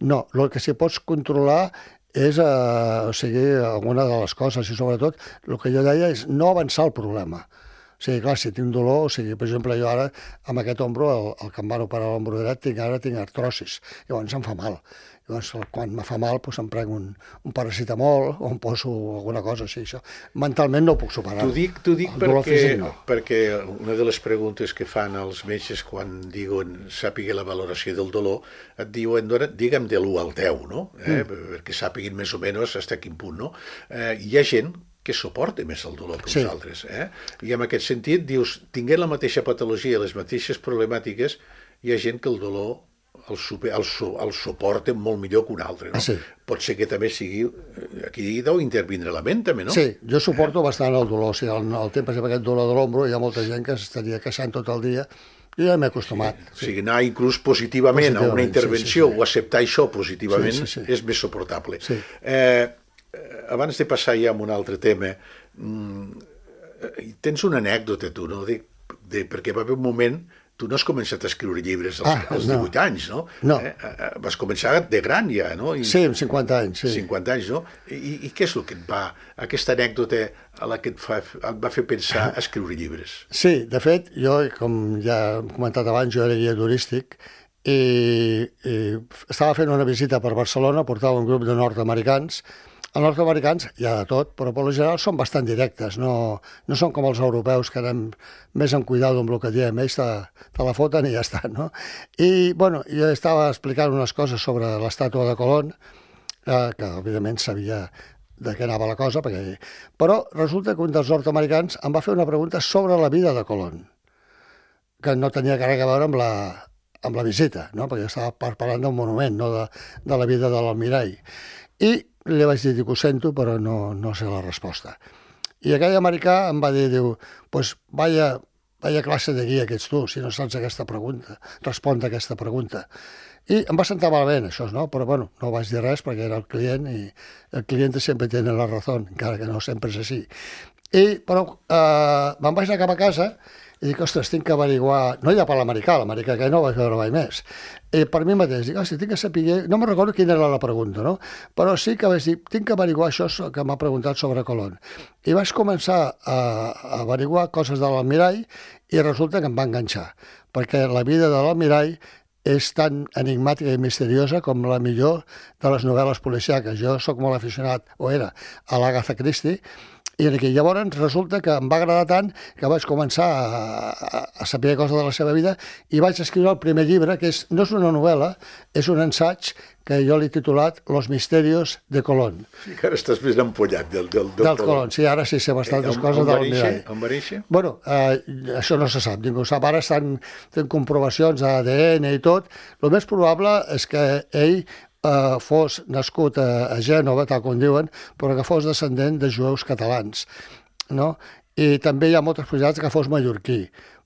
no. El que sí pots controlar és, eh, o sigui, alguna de les coses, i sobretot el que jo deia és no avançar el problema. O sigui, clar, si tinc dolor, o sigui, per exemple, jo ara, amb aquest ombro, el, el que em van operar l'ombro dret, tinc, ara tinc artrosis, llavors em fa mal. Llavors, quan me fa mal, doncs em prenc un, un paracetamol o em poso alguna cosa així. Això. Mentalment no ho puc superar. T'ho dic, t'ho dic perquè, físic, no. perquè una de les preguntes que fan els metges quan diuen sàpiga la valoració del dolor, et diuen, digue'm de l'u al deu, no? Eh? Mm. Perquè sàpiguin més o menys fins a quin punt, no? Eh, hi ha gent que suporta més el dolor que sí. Nosaltres. Eh? I en aquest sentit, dius, tinguent la mateixa patologia, les mateixes problemàtiques, hi ha gent que el dolor el, super, el, el suporta molt millor que un altre. No? Ah, sí. Pot ser que també sigui... Aquí deu intervindre la ment, també, no? Sí, jo suporto eh? bastant el dolor. O sigui, el, el temps per aquest dolor de l'ombro, hi ha molta gent que s'estaria queixant tot el dia. Jo ja m'he acostumat. Sí. Sí. O sigui, anar inclús positivament, positivament a una intervenció sí, sí, sí. o acceptar això positivament sí, sí, sí. és més suportable. Sí. Eh, abans de passar ja a un altre tema, tens una anècdota, tu, no? De, de, perquè va haver un moment... Tu no has començat a escriure llibres als, ah, als divuit no. anys, no? No. Eh? Vas començar de gran ja, no? I, sí, amb cinquanta anys, sí. cinquanta anys, no? I, I què és el que et va... Aquesta anècdota a la que et, fa, et va fer pensar a escriure llibres? Sí, de fet, jo, com ja he comentat abans, jo era guia turístic i, i estava fent una visita per Barcelona, portava un grup de nord-americans. Els nord-americans hi ha de tot, però per lo general són bastant directes, no, no són com els europeus que anem més en cuidado amb el que diem, ells te, te la foten i ja està, no? I, bueno, jo estava explicant unes coses sobre l'estàtua de Colón, eh, que evidentment sabia de què anava la cosa, perquè... però resulta que un dels nord-americans em va fer una pregunta sobre la vida de Colón, que no tenia res a veure amb la, amb la visita, no? Perquè jo estava parlant d'un monument, no de, de la vida de l'almirall. I li vaig dir que ho sento, però no, no sé la resposta. I aquell americà em va dir, diu, pues vaya, vaya classe de guia que ets tu, si no saps aquesta pregunta, respondre a aquesta pregunta. I em va sentar malament, això, no? Però, bueno, no vaig dir res perquè era el client i el client sempre té la raó, encara que no sempre és així. I, però, eh, me'n vaig anar cap a casa i dic, ostres, tinc que averiguar... No ja per l'americà, l'americà que no vaig veure mai més. I per mi mateix, dic, ostres, tinc que saber... No me'n recordo quina era la pregunta, no? Però sí que vaig dir, tinc que averiguar això que m'ha preguntat sobre Colón. I vaig començar a, a averiguar coses de l'almirall i resulta que em va enganxar, perquè la vida de l'almirall és tan enigmàtica i misteriosa com la millor de les novel·les policíaques. Jo sóc molt aficionat, o era, a l'Agatha Christie, i aquí, llavors resulta que em va agradar tant que vaig començar a, a, a saber coses de la seva vida i vaig escriure el primer llibre, que és, no és una novel·la, és un ensaig que jo l'he titulat Los misterios de Colón. Sí, que ara estàs més empollat del, del, del, del Colón. Sí, ara sí sé bastantes eh, coses del mirall. On va néixer? Bueno, eh, això no se sap, ningú ho sap. Ara estan fent comprovacions d'A D N i tot. El més probable és que ell Uh, fos nascut a, a Gènova, tal com diuen, però que fos descendent de jueus catalans, no? I també hi ha moltes possibilitats que fos mallorquí,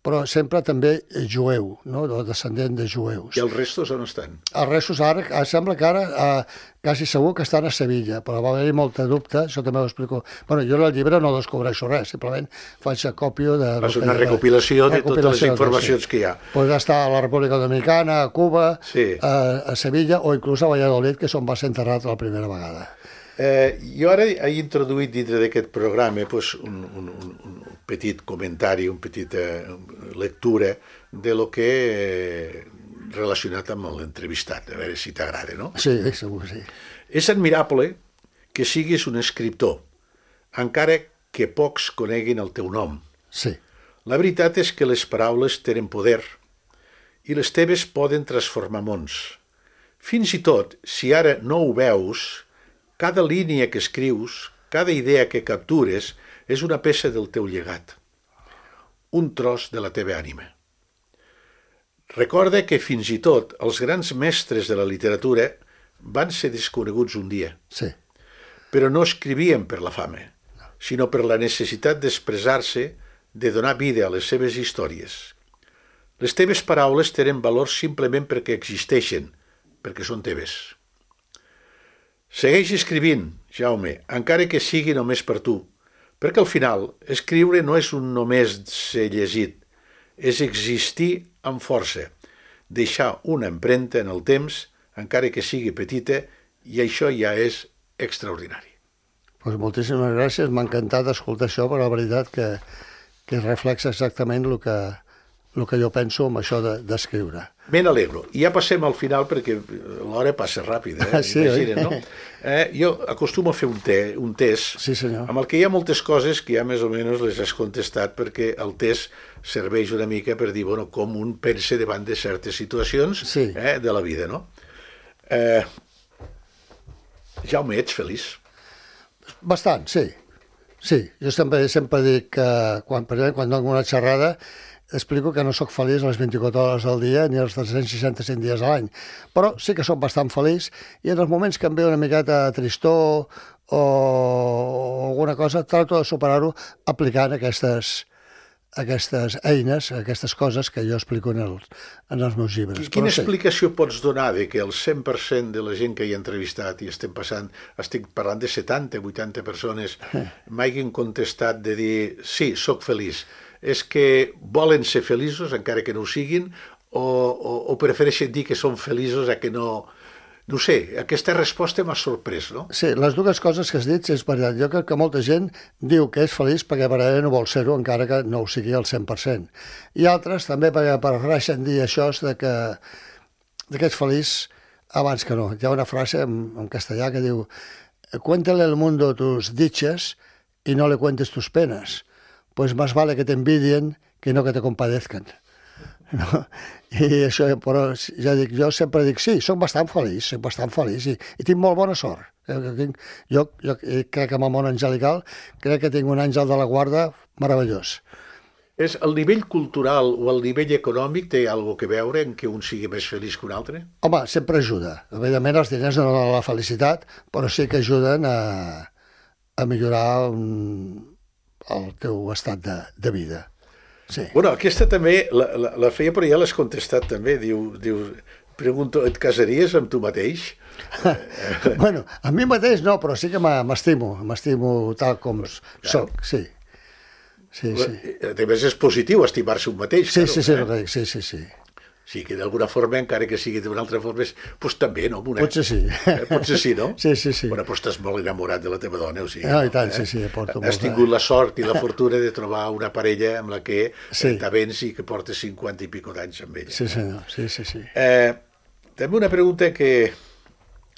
però sempre també jueu, no? Descendent de jueus. I els restos on estan? Els restos ara, sembla que ara eh, quasi segur que estan a Sevilla, però va haver-hi molta dubte, això també ho explico. Bueno, jo en el llibre no descobreixo res, simplement faig acòpio de... Fas una recopilació de totes les informacions que hi ha. Pot estar a la República Dominicana, a Cuba, sí. a, a Sevilla o inclús a Valladolid, que és on va ser enterrat la primera vegada. Eh, jo ara he introduït dintre d'aquest programa pues, un, un, un petit comentari, un petit eh, lectura de lo que eh, relacionat amb l'entrevistat, a veure si t'agrada, no? Sí, segur, sí. És admirable que siguis un escriptor, encara que pocs coneguin el teu nom. Sí. La veritat és que les paraules tenen poder i les teves poden transformar mons. Fins i tot, si ara no ho veus, cada línia que escrius, cada idea que captures, és una peça del teu llegat, un tros de la teva ànima. Recorda que fins i tot els grans mestres de la literatura van ser desconeguts un dia, sí. Però no escrivien per la fama, sinó per la necessitat d'expressar-se, de donar vida a les seves històries. Les teves paraules tenen valor simplement perquè existeixen, perquè són teves. Segueix escrivint, Jaume, encara que sigui només per tu, perquè al final escriure no és un només ser llegit, és existir amb força, deixar una empremta en el temps, encara que sigui petita, i això ja és extraordinari. Pues moltíssimes gràcies, m'ha encantat escoltar això, però la veritat que, que reflexa exactament el que, el que jo penso amb això d'escriure. De, Me n'alegro. I ja passem al final perquè l'hora passa ràpida, eh? Sí, Imagina't, no? Eh, jo acostumo a fer un, te, un test sí, senyor. Amb el que hi ha moltes coses que ja més o menys les has contestat perquè el test serveix una mica per dir bueno, com un pensa davant de certes situacions sí. eh, de la vida, no? Eh, Jaume, ets feliç? Bastant, sí. Sí, jo sempre, sempre dic que quan, quan dono una xerrada explico que no sóc feliç les vint-i-quatre hores del dia ni els tres-cents seixanta-cinc dies a l'any, però sí que sóc bastant feliç i en els moments que em ve una miqueta tristor o alguna cosa trato de superar-ho aplicant aquestes, aquestes eines, aquestes coses que jo explico en els, en els meus llibres. I quina però, explicació sí. pots donar de que el cent per cent de la gent que hi ha entrevistat i estem passant, estic parlant de setanta, vuitanta persones, m'hagin contestat de dir sí, sóc feliç? És que volen ser feliços encara que no ho siguin o, o, o prefereixen dir que són feliços a que no... No ho sé, aquesta resposta m'ha sorprès, no? Sí, les dues coses que has dit és veritat. Jo crec que molta gent diu que és feliç perquè verdaderament no vol ser-ho encara que no ho sigui al cent per cent. I altres també perquè prefereixen dir això de que, de que ets feliç abans que no. Hi ha una frase en, en castellà que diu «Cuéntale al mundo tus dichas y no le cuentes tus penas». Pues más vale que te envidien que no que te compadezcan. No? I això, però ja dic, jo sempre dic, sí, soc bastant feliç, soc bastant feliç i, i tinc molt bona sort. Jo, jo crec que amb el món angelical crec que tinc un àngel de la guarda meravellós. És el nivell cultural o el nivell econòmic té alguna que veure en que un sigui més feliç que un altre? Home, sempre ajuda. Evidentment els diners no donen la felicitat, però sí que ajuden a, a millorar un, el teu estat de, de vida. Sí. Bueno, aquesta també la, la, la feia, però ja l'has contestat també. Diu, diu, pregunto, et casaries amb tu mateix? Bueno, a mi mateix no, però sí que m'estimo, m'estimo tal com soc, sí. Sí, sí. A més és positiu estimar-se un mateix. Sí, claro, sí, sí, eh? sí, sí, sí. Sí, que d'alguna forma, encara que sigui d'una altra forma, doncs també, no? Una... Potser sí. Eh, potser sí, no? Sí, sí, sí. Bueno, però estàs molt enamorat de la teva dona, o sigui... No, i tant, eh? sí, sí, porto molt. Has tingut la sort i la fortuna de trobar una parella amb la que sí. t'avens i que portes cinquanta i pico d'anys amb ella. Sí, senyor, sí, sí, sí. Eh, també una pregunta que...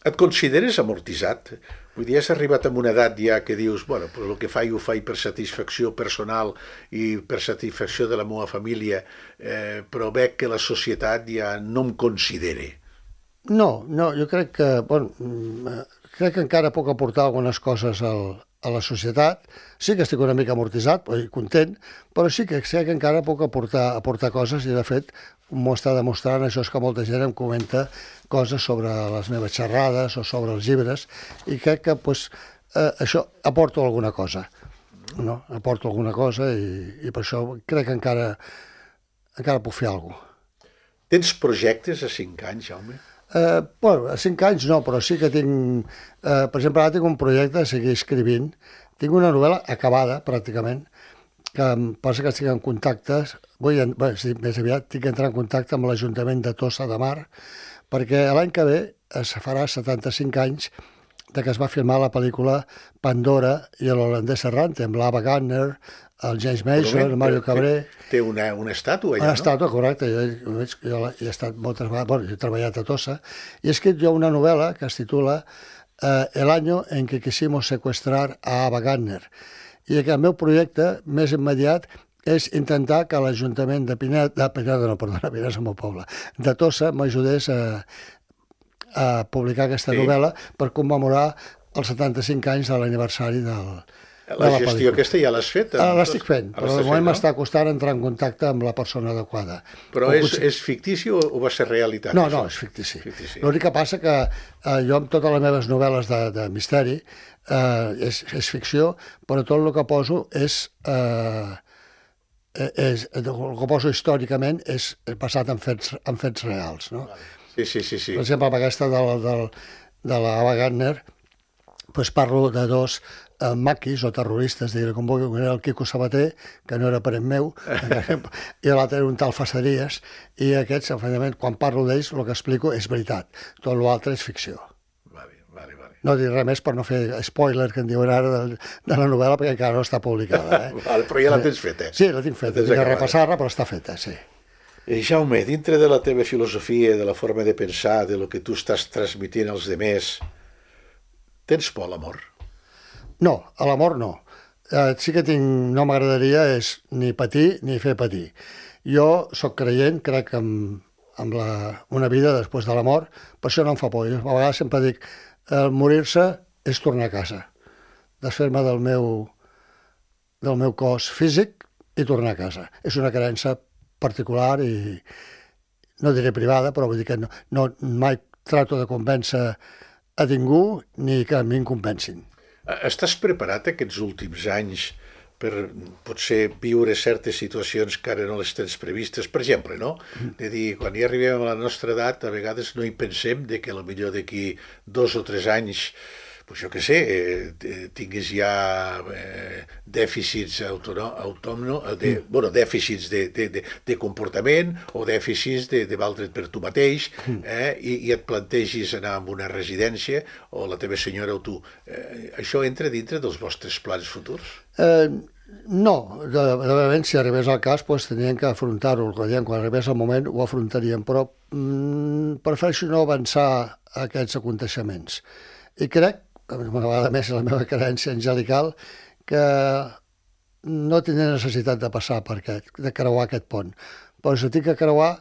Et consideres amortitzat? Vull dir, has arribat a una edat ja que dius, bueno, però el que faig ho faig per satisfacció personal i per satisfacció de la meva família, eh, però veig que la societat ja no em considera. No, no, jo crec que, bueno, crec que encara puc aportar algunes coses al, a la societat. Sí que estic una mica amortitzat i content, però sí que sé que encara puc aportar, aportar coses i, de fet, m'ho està demostrant, això és que molta gent em comenta coses sobre les meves xerrades o sobre els llibres i crec que pues, eh, això aporto alguna cosa, no? Aporto alguna cosa i, i per això crec que encara encara puc fer alguna cosa. Tens projectes a cinc anys, Jaume? Eh, bueno, a cinc anys no, però sí que tinc... Eh, per exemple, ara tinc un projecte de seguir escrivint. Tinc una novel·la acabada, pràcticament, que em passa que estic en contactes, vull, bé, sí, més aviat, tinc que entrar en contacte amb l'Ajuntament de Tossa de Mar, perquè l'any que ve es farà setanta-cinc anys de que es va filmar la pel·lícula Pandora i l'holandès errant, amb l'Ava Gardner, el James Mason, el Mario Cabré... Té una, una estàtua allà, una no? Una estàtua, correcte. Jo, jo, jo he estat moltes vegades, bueno, he treballat a Tossa, i he escrit jo una novel·la que es titula eh, El año en que quisimos secuestrar a Ava Gardner. I que el meu projecte més immediat és intentar que l'Ajuntament de Pineda, de Pineda, no, perdona, Pineda és el meu poble, de Tossa m'ajudés a, a publicar aquesta sí. novel·la per commemorar els setanta-cinc anys de l'aniversari del... La gestió aquesta ja l'has fet? Ah, l'estic fent, però de moment m'està costant entrar en contacte amb la persona adequada. Però és, és fictici o, o va ser realitat? No, això? no, és fictici. fictici. L'únic que passa que eh, jo amb totes les meves novel·les de, de misteri eh, és, és ficció, però tot el que poso és... Eh, és el que poso històricament és basat en fets, en fets reals. No? Sí, sí, sí, sí. Per exemple, amb aquesta del, del, de l'Ava Gardner, doncs parlo de dos eh, maquis o terroristes, diguem com vulgui, un era el Quico Sabater, que no era parent meu, i l'altre era un tal Faceries, i aquests, efectivament, quan parlo d'ells, el que explico és veritat. Tot l'altre és ficció. Vale, vale, vale. No dir res més per no fer spoiler, que en diuen ara, de, de la novel·la, perquè encara no està publicada. Eh? Vale, però ja la tens feta. Sí, la tinc feta, tinc que repassar-la, però està feta, sí. Eh, Jaume, dintre de la teva filosofia, de la forma de pensar, de lo que tu estàs transmitint als demés, tens por a l'amor? No, a l'amor no. Eh, sí que tinc, no m'agradaria és ni patir ni fer patir. Jo sóc creient, crec en, en la, una vida després de la mort, per això no em fa por. Jo a vegades sempre dic, el morir-se és tornar a casa, desfer-me del meu, del meu cos físic i tornar a casa. És una creença particular i no diré privada, però vull dir que no, no mai trato de convèncer a ningú ni que a mi em convencin. Estàs preparat aquests últims anys per potser viure certes situacions que ara no les tens previstes? Per exemple, no? De dir, quan ja arribem a la nostra edat, a vegades no hi pensem de que potser d'aquí dos o tres anys, pues jo què sé, eh, tinguis ja eh, dèficits autònoms, de, mm. bueno, dèficits de, de, de, de comportament o dèficits de, de valdre't per tu mateix, eh, i, i et plantegis anar a una residència o la teva senyora o tu. Eh, això entra dintre dels vostres plans futurs? Eh, no, de, de moment, si arribés al cas, pues, tenien que afrontar-ho. Quan arribés el moment ho afrontaríem, però mm, prefereixo no avançar a aquests aconteixements. I crec, una vegada més la meva creença angelical, que no tindré necessitat de passar per aquest, de creuar aquest pont. Però si tinc que creuar,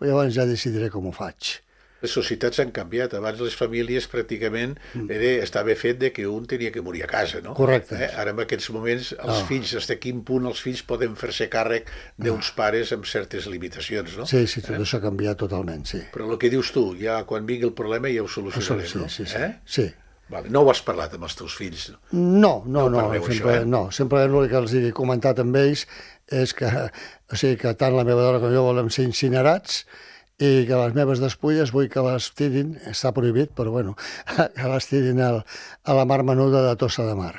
llavors ja decidiré com ho faig. Les societats han canviat. Abans les famílies pràcticament era, estava fet de que un tenia que morir a casa, no? Correcte. Eh? Ara en aquests moments els no. fills, fins, fins quin punt els fills poden fer-se càrrec d'uns no. pares amb certes limitacions, no? Sí, sí, tot eh? això ha canviat totalment, sí. Però el que dius tu, ja quan vingui el problema ja ho solucionarem, sí, no? Sí, sí, eh? sí. Vale. No ho has parlat amb els teus fills? No, no, no, no, sempre, això, eh? no. Sempre l'únic que els he comentat amb ells és que, o sigui, que tant la meva dona com jo volem ser incinerats i que les meves despulles vull que les tirin, està prohibit, però bueno, que les tirin al, a la mar menuda de Tossa de Mar.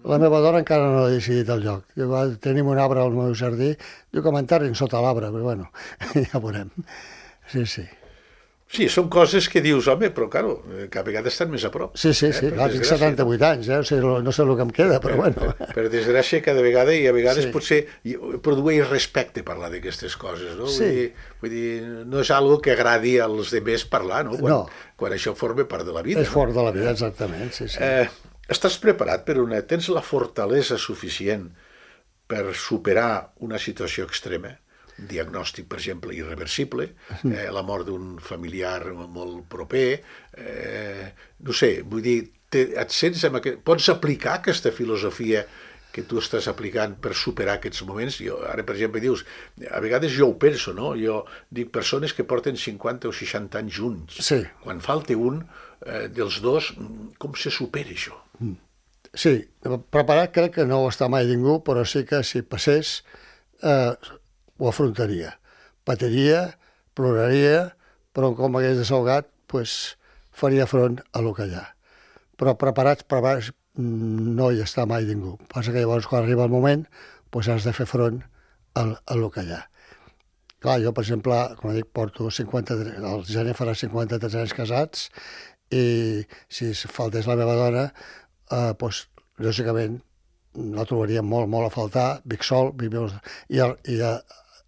La meva dona encara no ha decidit el lloc. Diu, tenim un arbre al meu jardí, diu que m'enterrin sota l'arbre, però bueno, ja veurem. Sí, sí. Sí, són coses que dius, home, però, claro, cada vegada estan més a prop. Sí, sí, sí, eh? Clar, tinc setanta-vuit anys, eh? O sigui, no sé el que em queda, però per, bueno. Per, per desgràcia, cada vegada, i a vegades sí. potser produeix respecte parlar d'aquestes coses, no? Sí. Vull dir, vull dir, no és algo que agradi als demés parlar, no? Quan, no. Quan això forma part de la vida. És fort de la vida, exactament, sí, sí. Eh, estàs preparat per una... Tens la fortalesa suficient per superar una situació extrema? Un diagnòstic, per exemple, irreversible, eh, la mort d'un familiar molt proper, eh, no sé, vull dir, te, et sents amb aquest, pots aplicar aquesta filosofia que tu estàs aplicant per superar aquests moments? Jo, ara, per exemple, dius, a vegades jo ho penso, no? Jo dic persones que porten cinquanta o seixanta anys junts. Sí. Quan falta un eh, dels dos, com se supera això? Sí, preparat crec que no ho està mai ningú, però sí que si passés... Eh, ho afrontaria. patiria, ploraria, però com hagués desahogat, pues, faria front a lo que hi ha. Però preparats, preparats no hi està mai ningú. Passa que llavors, quan arriba el moment, pues, has de fer front a, a lo que hi ha. Clar, jo, per exemple, com dic, porto cinquanta-tres, el gener farà cinquanta-tres anys casats, i si faltés la meva dona, eh, doncs, lògicament, la trobaria molt, molt a faltar, vic sol, vic molt... i, el, i a,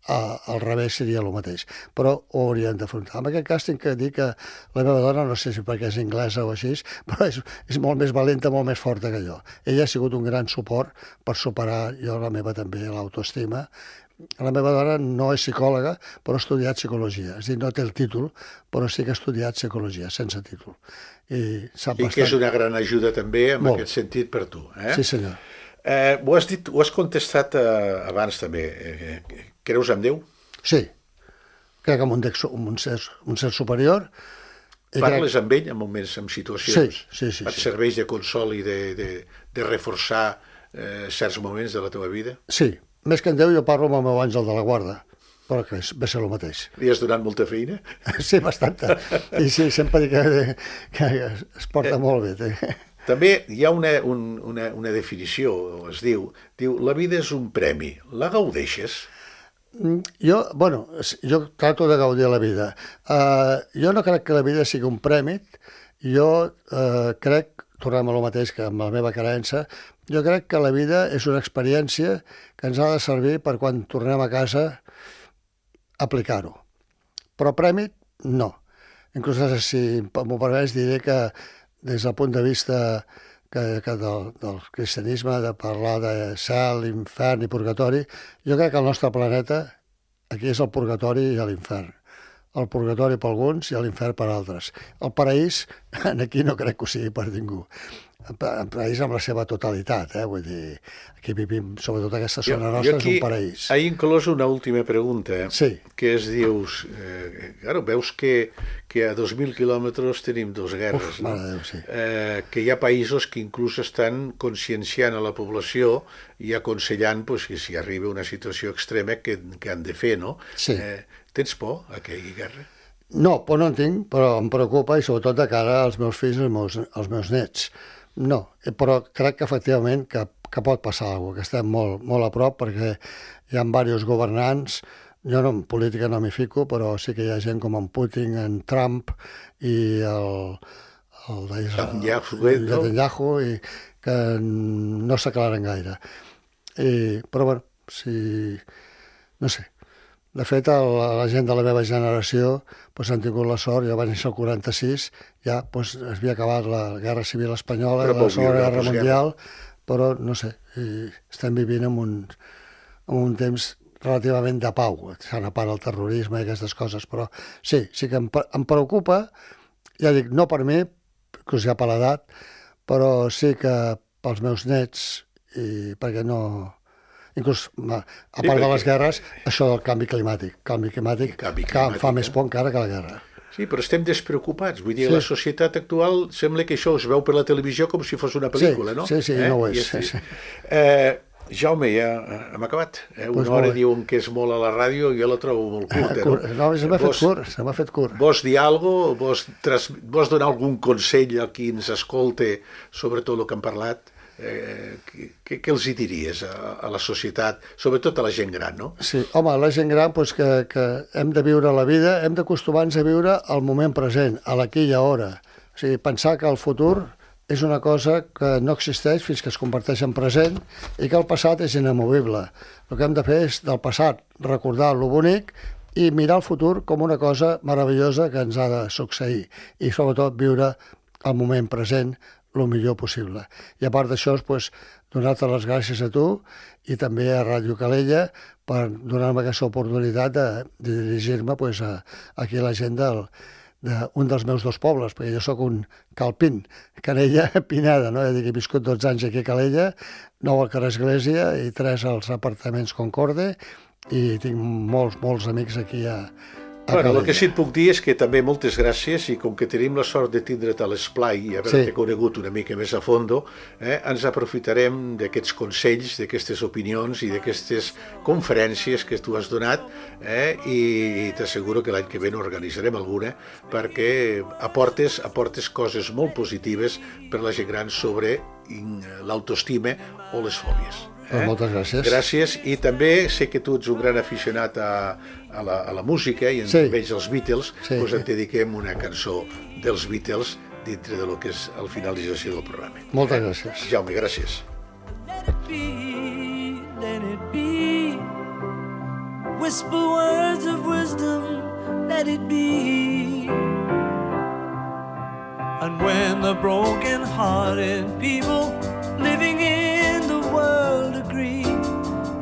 a, al revés seria el mateix, però ho haurien d'afrontar. En aquest cas tinc que dir que la meva dona, no sé si perquè és anglesa o així, però és, és molt més valenta, molt més forta que jo. Ella ha sigut un gran suport per superar, jo la meva també, l'autoestima. La meva dona no és psicòloga, però ha estudiat psicologia. És a dir, no té el títol, però sí que ha estudiat psicologia, sense títol. I sap sí bastant... que és una gran ajuda també en Molt. aquest sentit per tu. Eh? Sí, senyor. Eh, ho has dit, ho has contestat eh, abans també. Eh, creus en Déu? Sí. Crec en un, dex, un, ser, un ser superior. I Parles crec... amb ell en moments, en situacions? Sí, sí, sí. Et sí. serveix de consol i de, de, de reforçar eh, certs moments de la teva vida? Sí. Més que en Déu, jo parlo amb el meu àngel de la guarda, però que és, ve ser el mateix. Li has donat molta feina? Sí, bastanta. I sí, sempre dic que, que es porta molt bé. Té. També hi ha una, un, una, una definició, es diu, diu, la vida és un premi, la gaudeixes? Jo, bueno, jo trato de gaudir la vida. Uh, jo no crec que la vida sigui un premi, jo uh, crec, tornem a lo mateix que amb la meva creença, jo crec que la vida és una experiència que ens ha de servir per quan tornem a casa aplicar-ho. Però premi, no. Inclús si m'ho permets diré que des del punt de vista que, que del, del cristianisme, de parlar de cel, infern i purgatori, jo crec que el nostre planeta aquí és el purgatori i l'infern. El purgatori per alguns i l'infern per altres. El paraís, aquí no crec que ho sigui per ningú. El paraís amb la seva totalitat, eh? Vull dir, aquí vivim, sobretot aquesta zona jo, nostra, jo aquí, és un paraís. He inclòs una última pregunta, sí. Que es dius, eh, claro, veus que, que a dos mil quilòmetres tenim dos guerres, Uf, no? Mare Déu, sí. eh, que hi ha països que inclús estan conscienciant a la població i aconsellant pues, que si arriba una situació extrema que, que han de fer, no? Sí. Eh, tens por a que hi hagi guerra? No, por no en tinc, però em preocupa i sobretot de cara als meus fills i als meus, als meus nets. No, però crec que efectivament que, que pot passar alguna cosa, que estem molt, molt a prop perquè hi ha diversos governants, jo no, en política no m'hi fico, però sí que hi ha gent com en Putin, en Trump i el, el Netanyahu, i que no s'aclaren gaire. I, però bueno, si, no sé, de fet, el, la gent de la meva generació pues, han tingut la sort, jo vaig néixer el quaranta-sis, ja pues, es havia acabat la Guerra Civil Espanyola, la Segona Guerra Mundial, però no sé, estem vivint en un, en un temps relativament de pau, s'han apagat el terrorisme i aquestes coses, però sí, sí que em, em preocupa, ja dic, no per mi, inclús ja per l'edat, però sí que pels meus nets, i perquè no... Inclús, a part sí, perquè... de les guerres, això del canvi climàtic. Canvi climàtic, canvi climàtic que fa eh? més por encara que la guerra. Sí, però estem despreocupats. Vull dir, sí. La societat actual sembla que això es veu per la televisió com si fos una pel·lícula, sí, no? Sí, sí, eh? no ho és. Sí. Sí, sí. Eh, Jaume, ja hem acabat. Eh? Una pues hora diuen que és molt a la ràdio i jo la trobo molt curta. No, no se m'ha fet curt, se m'ha fet curt. Vols dir alguna cosa? Vols, tras... vols donar algun consell a qui ens escolte sobre tot el que hem parlat? Eh, què, què els hi diries a, a la societat, sobretot a la gent gran, no? Sí, home, la gent gran, doncs que, que hem de viure la vida, hem d'acostumar-nos a viure el moment present, a l'aquí i a hora. O sigui, pensar que el futur és una cosa que no existeix fins que es converteix en present i que el passat és inamovible. El que hem de fer és del passat recordar lo bonic i mirar el futur com una cosa meravellosa que ens ha de succeir i sobretot viure el moment present el millor possible. I a part d'això, pues, donar-te les gràcies a tu i també a Ràdio Calella per donar-me aquesta oportunitat de, de dirigir-me pues, a, aquí a la gent del, d'un dels meus dos pobles, perquè jo sóc un calpín, Canella, Pineda, no? He viscut dotze anys aquí a Calella, nou al carrer Església i tres als apartaments Concorde i tinc molts, molts amics aquí a, Bueno, el que sí et puc dir és que també moltes gràcies, i com que tenim la sort de tindre't a l'esplai i haver-te sí. conegut una mica més a fondo, eh, ens aprofitarem d'aquests consells, d'aquestes opinions i d'aquestes conferències que tu has donat, eh, i t'asseguro que l'any que ve n'organitzarem alguna perquè aportes, aportes coses molt positives per la gent gran sobre l'autoestima o les fòbies. Eh? Moltes gràcies. Gràcies, i també sé que tu ets un gran aficionat a, a, la, a la música i en sí. veig els Beatles, sí. doncs et dediquem una cançó dels Beatles dintre de lo que és la finalització del programa. Moltes eh? gràcies. Jaume, gràcies. Let it be, let it be. Whisper words of wisdom, let it be. And when the broken-hearted people living in the world agree,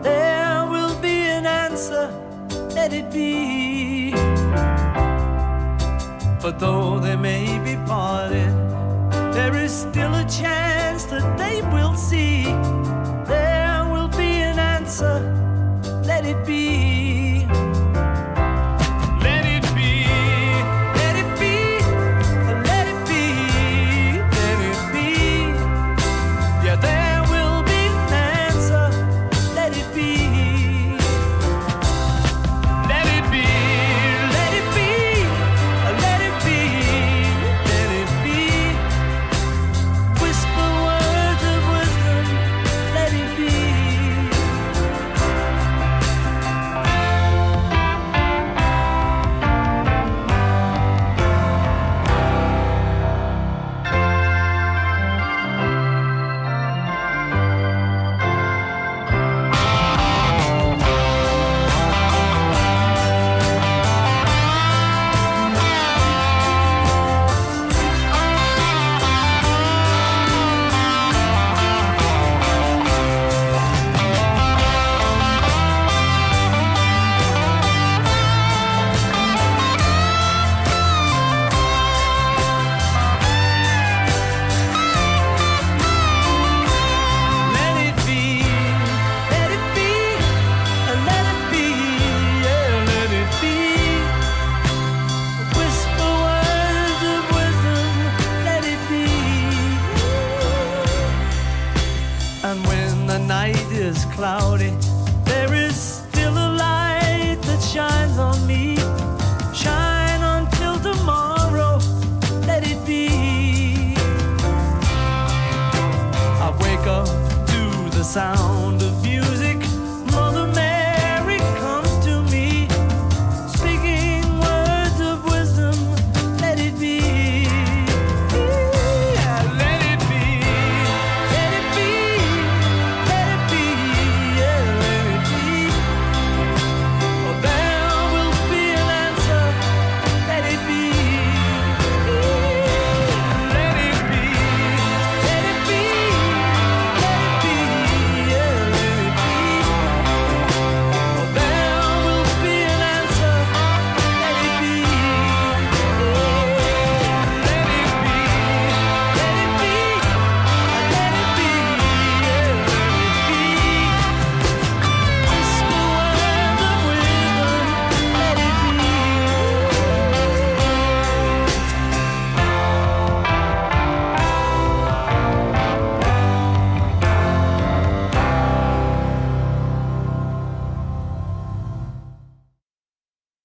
there will be an answer, let it be. For though they may be parted, there is still a chance that they will see. There will be an answer, let it be.